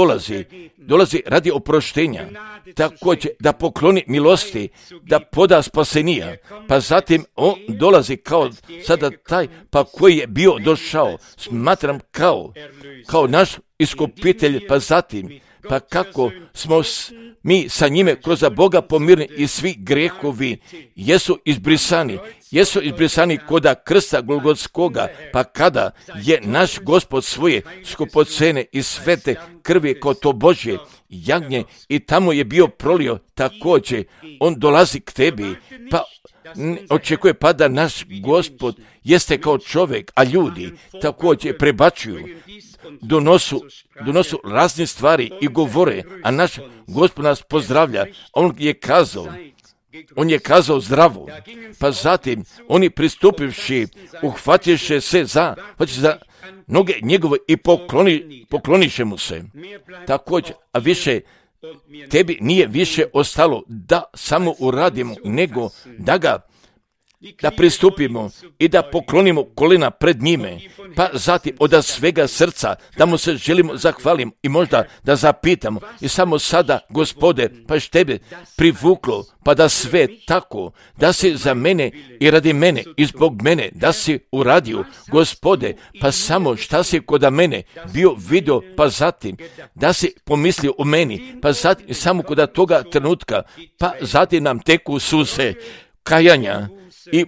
S1: dolazi radi oproštenja. Također, da pokloni milosti, da poda spasenija. Pa zatim on dolazi kao sada taj, pa koji je bio došao, smatram kao naš iskupitelj, pa zatim, pa kako smo mi sa njime kroz Boga pomirni i svi grehovi jesu izbrisani koda krsta Golgotskoga, pa kada je naš Gospod svoje skupocene i svete krvi kao to Božje jagnje i tamo je bio prolio, također on dolazi k tebi, pa očekuje pa da naš Gospod jeste kao čovjek, a ljudi također prebačuju, donosu razne stvari i govore, a naš Gospod nas pozdravlja. On je kazao zdravo, pa zatim oni pristupivši, uhvatiše se za noge njegove i pokloniše mu se. Također, a više tebi nije više ostalo da samo uradimo, nego da pristupimo i da poklonimo kolena pred njime, pa zatim od svega srca da mu se želimo zahvalimo i možda da zapitamo i samo sada, Gospode, pa što tebe privuklo, pa da sve tako, da si za mene i radi mene i zbog mene, da si uradio, Gospode, pa samo šta si kod mene bio vidio, pa zatim da si pomislio o meni, pa zatim samo kod toga trenutka, pa zatim nam teku suze kajanja i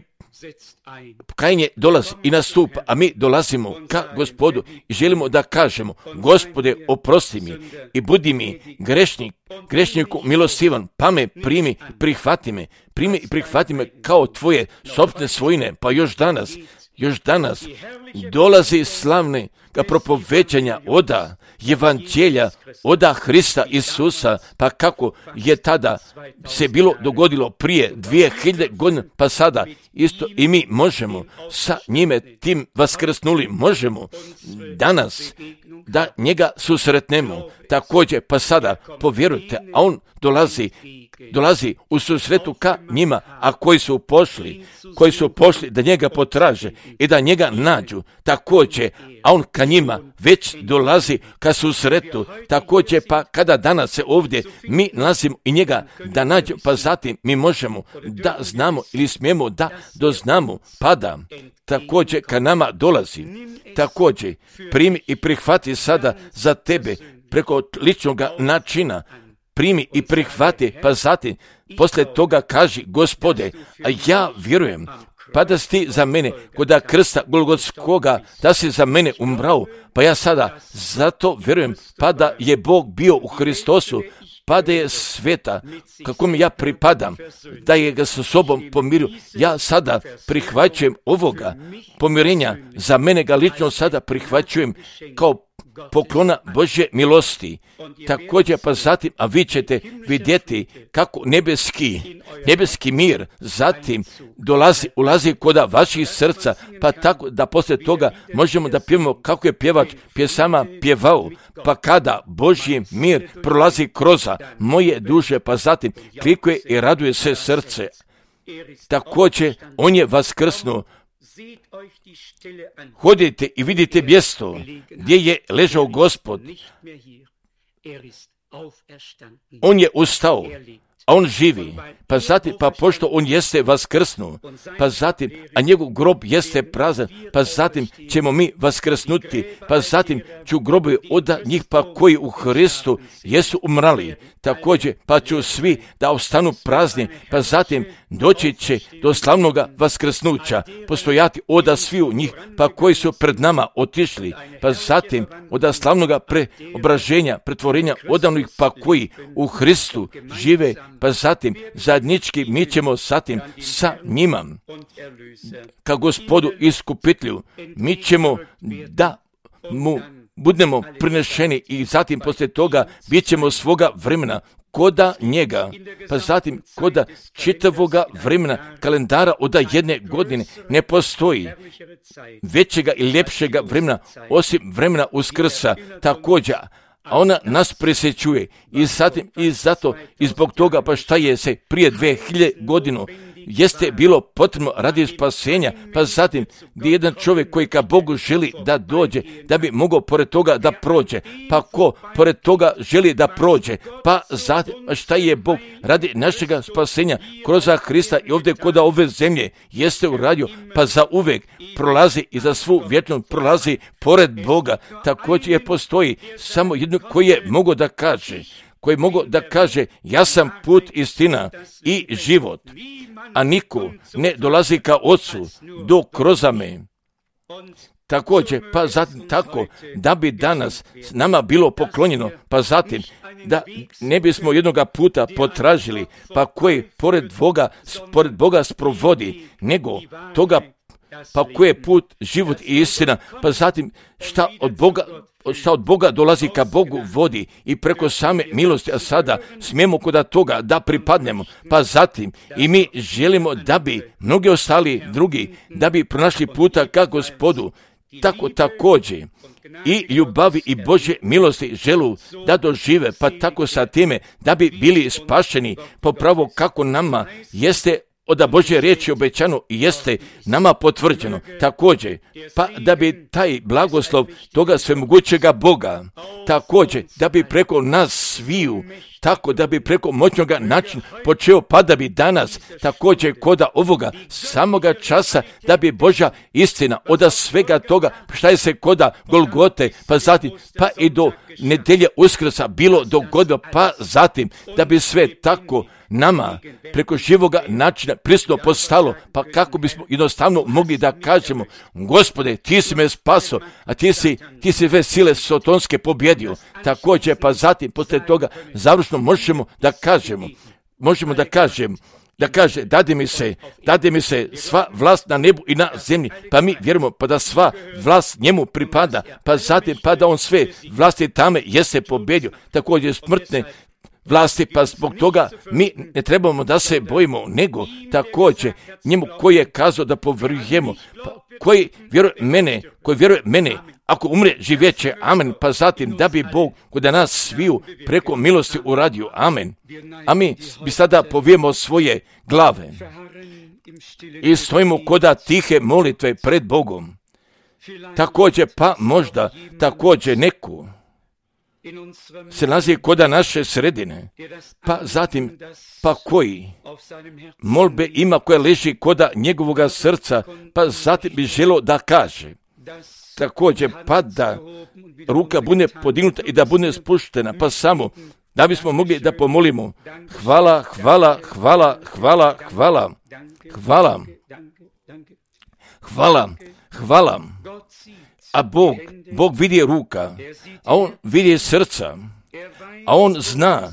S1: kajanje dolazi i nastupa, a mi dolazimo ka Gospodu i želimo da kažemo, Gospode, oprosti mi i budi mi grešniku milostivan, pa me primi i prihvati me kao tvoje sopstvene svojine, pa još danas dolazi slavne propoveđanja oda evanđelja, oda Hrista Isusa, pa kako je tada se bilo dogodilo prije 2000 godina, pa sada isto i mi možemo sa njime tim vaskrsnuli, možemo danas da njega susretnemo. Također, pa sada povjerujte, a on dolazi u susretu ka njima, a koji su pošli da njega potraže i da njega nađu. Također, a on ka njima već dolazi ka susretu. Također, pa kada danas se ovdje mi nalazimo i njega da nađe, pa zatim mi možemo da znamo ili smijemo da doznamo, pada također ka nama dolazi. Također, primi i prihvati sada za tebe preko ličnog načina, primi i prihvati, pa zatim poslije toga kaži, Gospode, a ja vjerujem, pa da si ti za mene kod krsta Golgotskoga, da si za mene umrao, pa ja sada zato vjerujem, pa da je Bog bio u Hristosu, pa da je sveta, kako mi ja pripadam, da je ga sa sobom pomirio. Ja sada prihvaćujem ovoga pomirenja, za mene ga lično sada prihvaćujem kao poklona Božje milosti. Također, pa zatim, a vi ćete vidjeti kako nebeski mir zatim ulazi kod vaših srca, pa tako da poslije toga možemo da pjevamo kako je pjevač pjesama pjevao, pa kada Božji mir prolazi kroz moje duše, pa zatim klikuje i raduje se srce. Također, on je vaskrsnuo. Hodite i vidite mjesto gdje je ležao Gospod. On je ustao, a on živi, pa zatim, pa pošto on jeste vaskrsnuo, pa zatim, a njegov grob jeste prazan, pa zatim ćemo mi vaskrsnuti, pa zatim ću grobovi od njih pa koji u Hristu jesu umrali, također, pa ću svi da ostanu prazni, pa zatim doći će do slavnoga vaskrsnuća, postojati od sviju njih, pa koji su pred nama otišli, pa zatim od slavnoga preobraženja, pretvorenja od onih pa koji u Hristu žive pa zatim zajednički mi ćemo zatim sa njima ka Gospodu iskupitelju, mi ćemo da mu budemo prinešeni i zatim poslije toga bit ćemo svoga vremena koda njega, pa zatim koda čitavoga vremena kalendara od jedne godine ne postoji većega i ljepšega vremena osim vremena Uskrsa također, a ona nas presjećuje i zatim i zato i zbog toga pa šta je se prije 2000 godina jeste bilo potrebno radi spasenja, pa zatim gdje jedan čovjek koji ka Bogu želi da dođe, da bi mogao pored toga da prođe, pa ko pored toga želi da prođe, pa zatim šta je Bog radi našega spasenja kroz Hrista i ovdje kod ove zemlje jeste uradio, pa za uvek prolazi i za svu vječnost prolazi pored Boga. Također je postoji samo jedno koji je mogao da kaže ja sam put, istina i život, a niko ne dolazi ka Otcu do kroz me. Također, pa zatim tako da bi danas nama bilo poklonjeno, pa zatim da ne bismo jednoga puta potražili, pa koji pored Boga sprovodi, nego toga pa koji je put, život i istina, pa zatim šta od Boga dolazi ka Bogu vodi i preko same milosti, a sada smijemo kod toga da pripadnemo, pa zatim i mi želimo da bi mnogi ostali drugi, da bi pronašli puta ka Gospodu, tako također i ljubavi i Božje milosti želu da dožive, pa tako sa time da bi bili spašeni popravo kako nama jeste od Božje riječi obećano i jeste nama potvrđeno. Također, pa da bi taj blagoslov toga svemogućega Boga, također da bi preko nas sviju, tako da bi preko moćnoga načina počeo, pa da bi danas također koda ovoga samoga časa, da bi Božja istina od svega toga šta je se koda Golgote, pa zatim pa i do nedelje Uskrsa bilo dogodilo, pa zatim da bi sve tako nama preko živoga načina prisutno postalo, pa kako bismo jednostavno mogli da kažemo Gospode, ti si me spaso, a ti si sve sile sotonske pobjedio. Također, pa zatim poslije toga završno možemo da kažemo dade mi se sva vlast na nebu i na zemlji, pa mi vjerujemo pa da sva vlast njemu pripada, pa zatim pa da on sve vlasti tame jeste pobjedio, također smrtne vlasti, pa zbog toga mi ne trebamo da se bojimo, nego također njemu koji je kazao da povjerujemo, pa koji vjeruje mene, ako umre živjeće, amen, pa zatim da bi Bog kod nas sviju preko milosti uradio, amen. A mi bi sada povijemo svoje glave i stojimo koda tihe molitve pred Bogom. Također, pa možda također neku se nalazi koda naše sredine, pa zatim pa koji molbe ima koja leži koda njegovoga srca, pa zatim bi želio da kaže također pa da ruka bude podignuta i da bude spuštena, pa samo da bismo mogli da pomolimo hvala, hvala, hvala, hvala, hvala, hvala, hvala, hvala. A Bog vidi ruka, a on vidi srca, a on zna,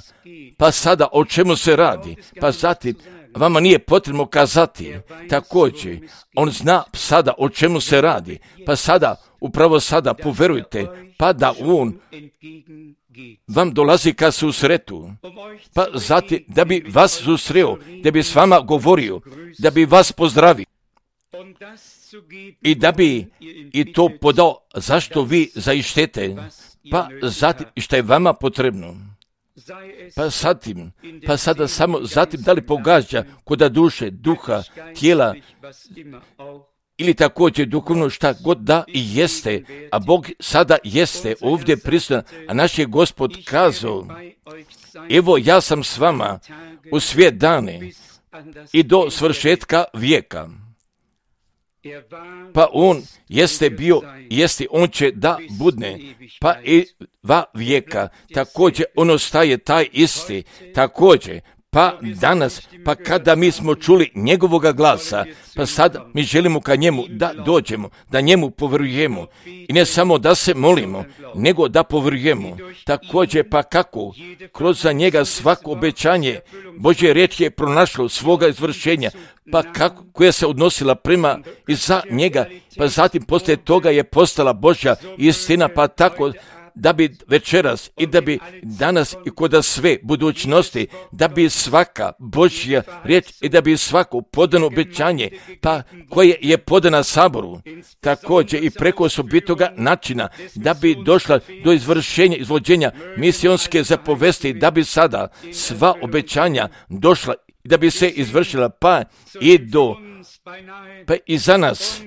S1: pa sada o čemu se radi, pa zatim vama nije potrebno kazati, također, on zna sada o čemu se radi, pa sada, upravo sada, poverujte, pa da on vam dolazi ka susretu, pa zatim da bi vas susreo, da bi s vama govorio, da bi vas pozdravio, i da bi i to podao zašto vi zaištete, pa zatim šta je vama potrebno. Pa sada samo zatim da li pogađa koda duše, duha, tijela ili također duhovno šta god da i jeste, a Bog sada jeste ovdje prisutan, a naš je Gospod kazao, evo ja sam s vama u sve dane i do svršetka vijeka. Pa on jeste bio, on će da budne, pa i va vijeka, također on ostaje taj isti, također, Pa danas, pa kada mi smo čuli njegovoga glasa, pa sad mi želimo ka njemu da dođemo, da njemu povjerujemo. I ne samo da se molimo, nego da povjerujemo. Također, pa kako? Kroz za njega svako obećanje Božje riječ je pronašlo svoga izvršenja, pa kako, koja se odnosila prema i za njega, pa zatim poslije toga je postala Božja istina, pa tako da bi večeras i da bi danas i kod sve budućnosti, da bi svaka Božja riječ i da bi svako podano obećanje, pa koje je podana Saboru, također i preko osobitoga načina, da bi došla do izvršenja, izvođenja misionske zapovesti, da bi sada sva obećanja došla i da bi se izvršila, pa i za nas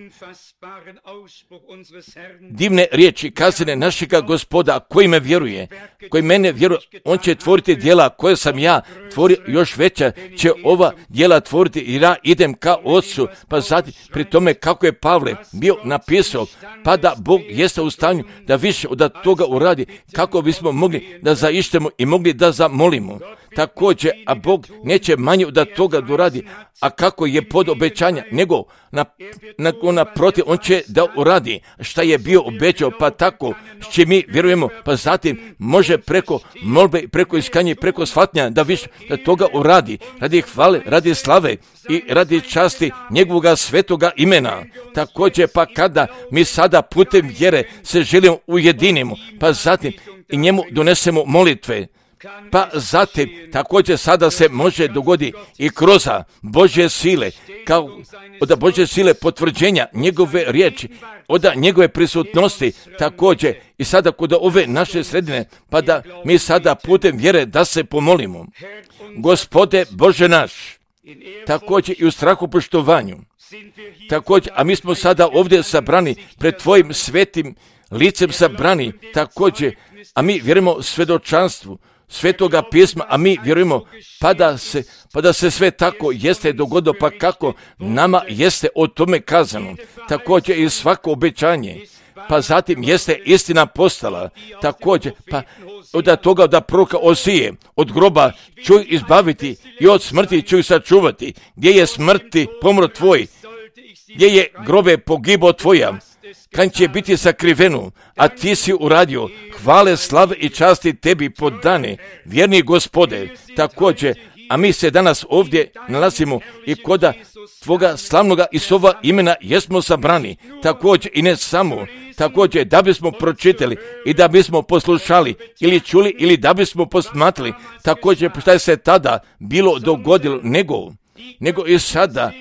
S1: divne riječi kazane našega Gospoda, koji me vjeruje, koji mene vjeruje, on će tvoriti djela koje sam ja tvorio, još veća će ova djela tvoriti i ja idem ka Otcu. Pa zatim pri tome kako je Pavle bio napisao, pa da Bog jeste u stanju da više od toga uradi, kako bismo mogli da zaištemo i mogli da zamolimo. Također, a Bog neće manje od toga da uradi, a kako je pod obećanja, nego naprotiv, on će da uradi šta je bio obećao, pa tako što mi vjerujemo, pa zatim može preko molbe, preko iskanja, preko shvatnja da više da toga uradi, radi hvale, radi slave i radi časti njegovoga svetoga imena. Također, pa kada mi sada putem vjere se želimo ujedinimo, pa zatim i njemu donesemo molitve, pa zatim također sada se može dogoditi i kroz Božje sile, kao od Božje sile potvrđenja njegove riječi, od njegove prisutnosti, također i sada kod ove naše sredine, pa da mi sada putem vjere da se pomolimo. Gospode Bože naš, također i u strahu poštovanju, također, a mi smo sada ovdje sabrani pred Tvojim svetim licem sabrani, također, a mi vjerujemo svjedočanstvu Svetoga pisma, a mi vjerujemo pa da se sve tako jeste dogodilo, pa kako nama jeste o tome kazano. Također i svako obećanje, pa zatim jeste istina postala. Također, pa od toga da proroka Osije, od groba ću izbaviti i od smrti ću sačuvati. Gdje je smrti pomro tvoj, gdje je grobe pogibo tvoja, kad će biti sakriveno, a ti si uradio, hvale, slave i časti tebi podane, vjerni Gospode. Također, a mi se danas ovdje nalazimo i koda Tvoga slavnoga Isova imena jesmo sabrani, također i ne samo, također da bismo pročitali i da bismo poslušali ili čuli ili da bismo posmatrali, također šta je se tada bilo dogodilo, nego i sada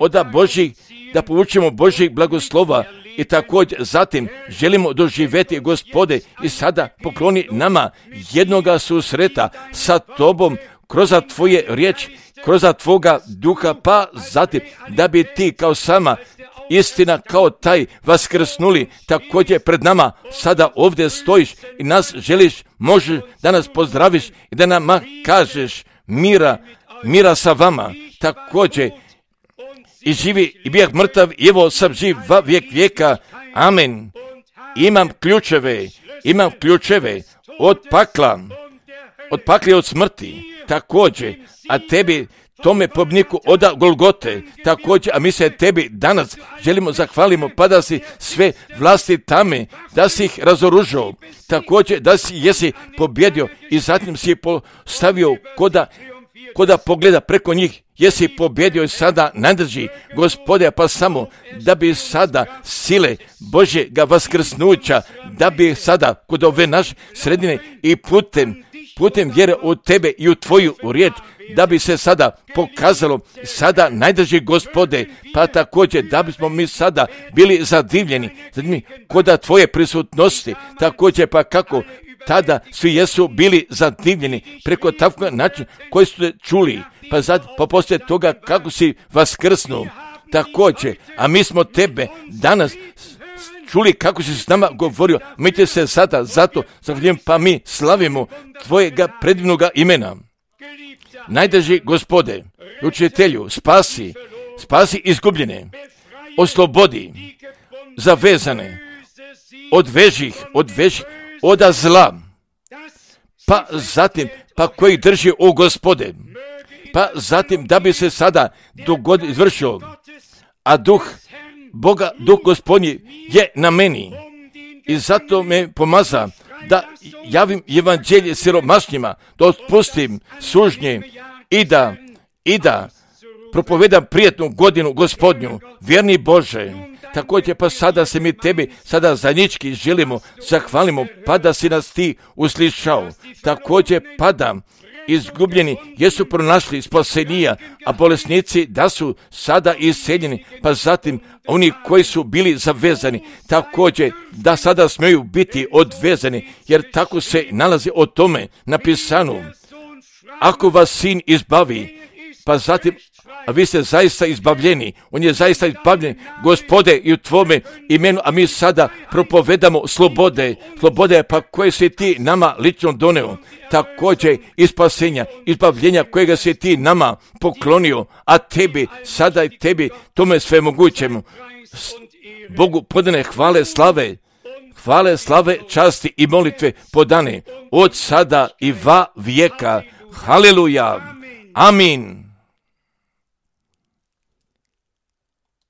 S1: od Božih, da povučemo Božih blagoslova. I također zatim želimo doživjeti, Gospode, i sada pokloni nama jednoga susreta sa Tobom kroz Tvoje riječi, kroz Tvoga duha, pa zatim da bi Ti kao sama istina, kao taj vaskrsnuli, također pred nama sada ovdje stojiš i nas želiš, možeš da nas pozdraviš i da nam kažeš mira sa vama, također i živi i bijak mrtav, i evo sam živ va vijek vijeka, amen. Imam ključeve od pakla i od smrti, također, a tebi tome pobniku od Golgote, također, a mi se tebi danas želimo zahvalimo, pa da si sve vlasti tame, da si ih razoružao, također da si jesi pobjedio i zatim si postavio koda pogleda preko njih, jesi pobjedio i sada nadrži, Gospode, pa samo da bi sada sile Božjega vaskrsnuća, da bi sada kod ove naše sredine i putem vjere u Tebe i u Tvoju riječ, da bi se sada pokazalo sada najdrži, Gospode, pa također da bismo mi sada bili zadivljeni kod Tvoje prisutnosti, također pa kako tada svi jesu bili zadivljeni preko takvog načina koji su čuli, pa poslije toga kako si vaskrsnuo, također, a mi smo Tebe danas čuli kako si s nama govorio, mi te se sada zato zahvaljujem, pa mi slavimo Tvojega predivnoga imena. Najdraži Gospode, učitelju, spasi izgubljene, oslobodi zavezane, odveži od zla, pa zatim, pa koji drži, o Gospode, pa zatim da bi se sada izvršio, a duh Boga, duh Gospodnji je na meni i zato me pomaza da javim evanđelje siromašnjima, da otpustim sužnje i da propovedam prijatnu godinu Gospodnju, vjerni Bože. Također pa sada se mi tebi sada zajednički želimo, zahvalimo, pa da si nas ti uslišao. Također pa da izgubljeni jesu pronašli spasenija, a bolesnici da su sada isceljeni, pa zatim oni koji su bili zavezani, također da sada smiju biti odvezani, jer tako se nalazi o tome napisano. Ako vas sin izbavi, pa zatim, a vi ste zaista izbavljeni, on je zaista izbavljen, Gospode, i u tvome imenu, a mi sada propovedamo slobode pa koje si ti nama lično doneo, također i spasenja, izbavljenja kojega si ti nama poklonio, a tebi, sada i tebi, tome sve mogućemo. Bogu podane hvale, slave, časti i molitve podane od sada i va vijeka. Haleluja. Amin.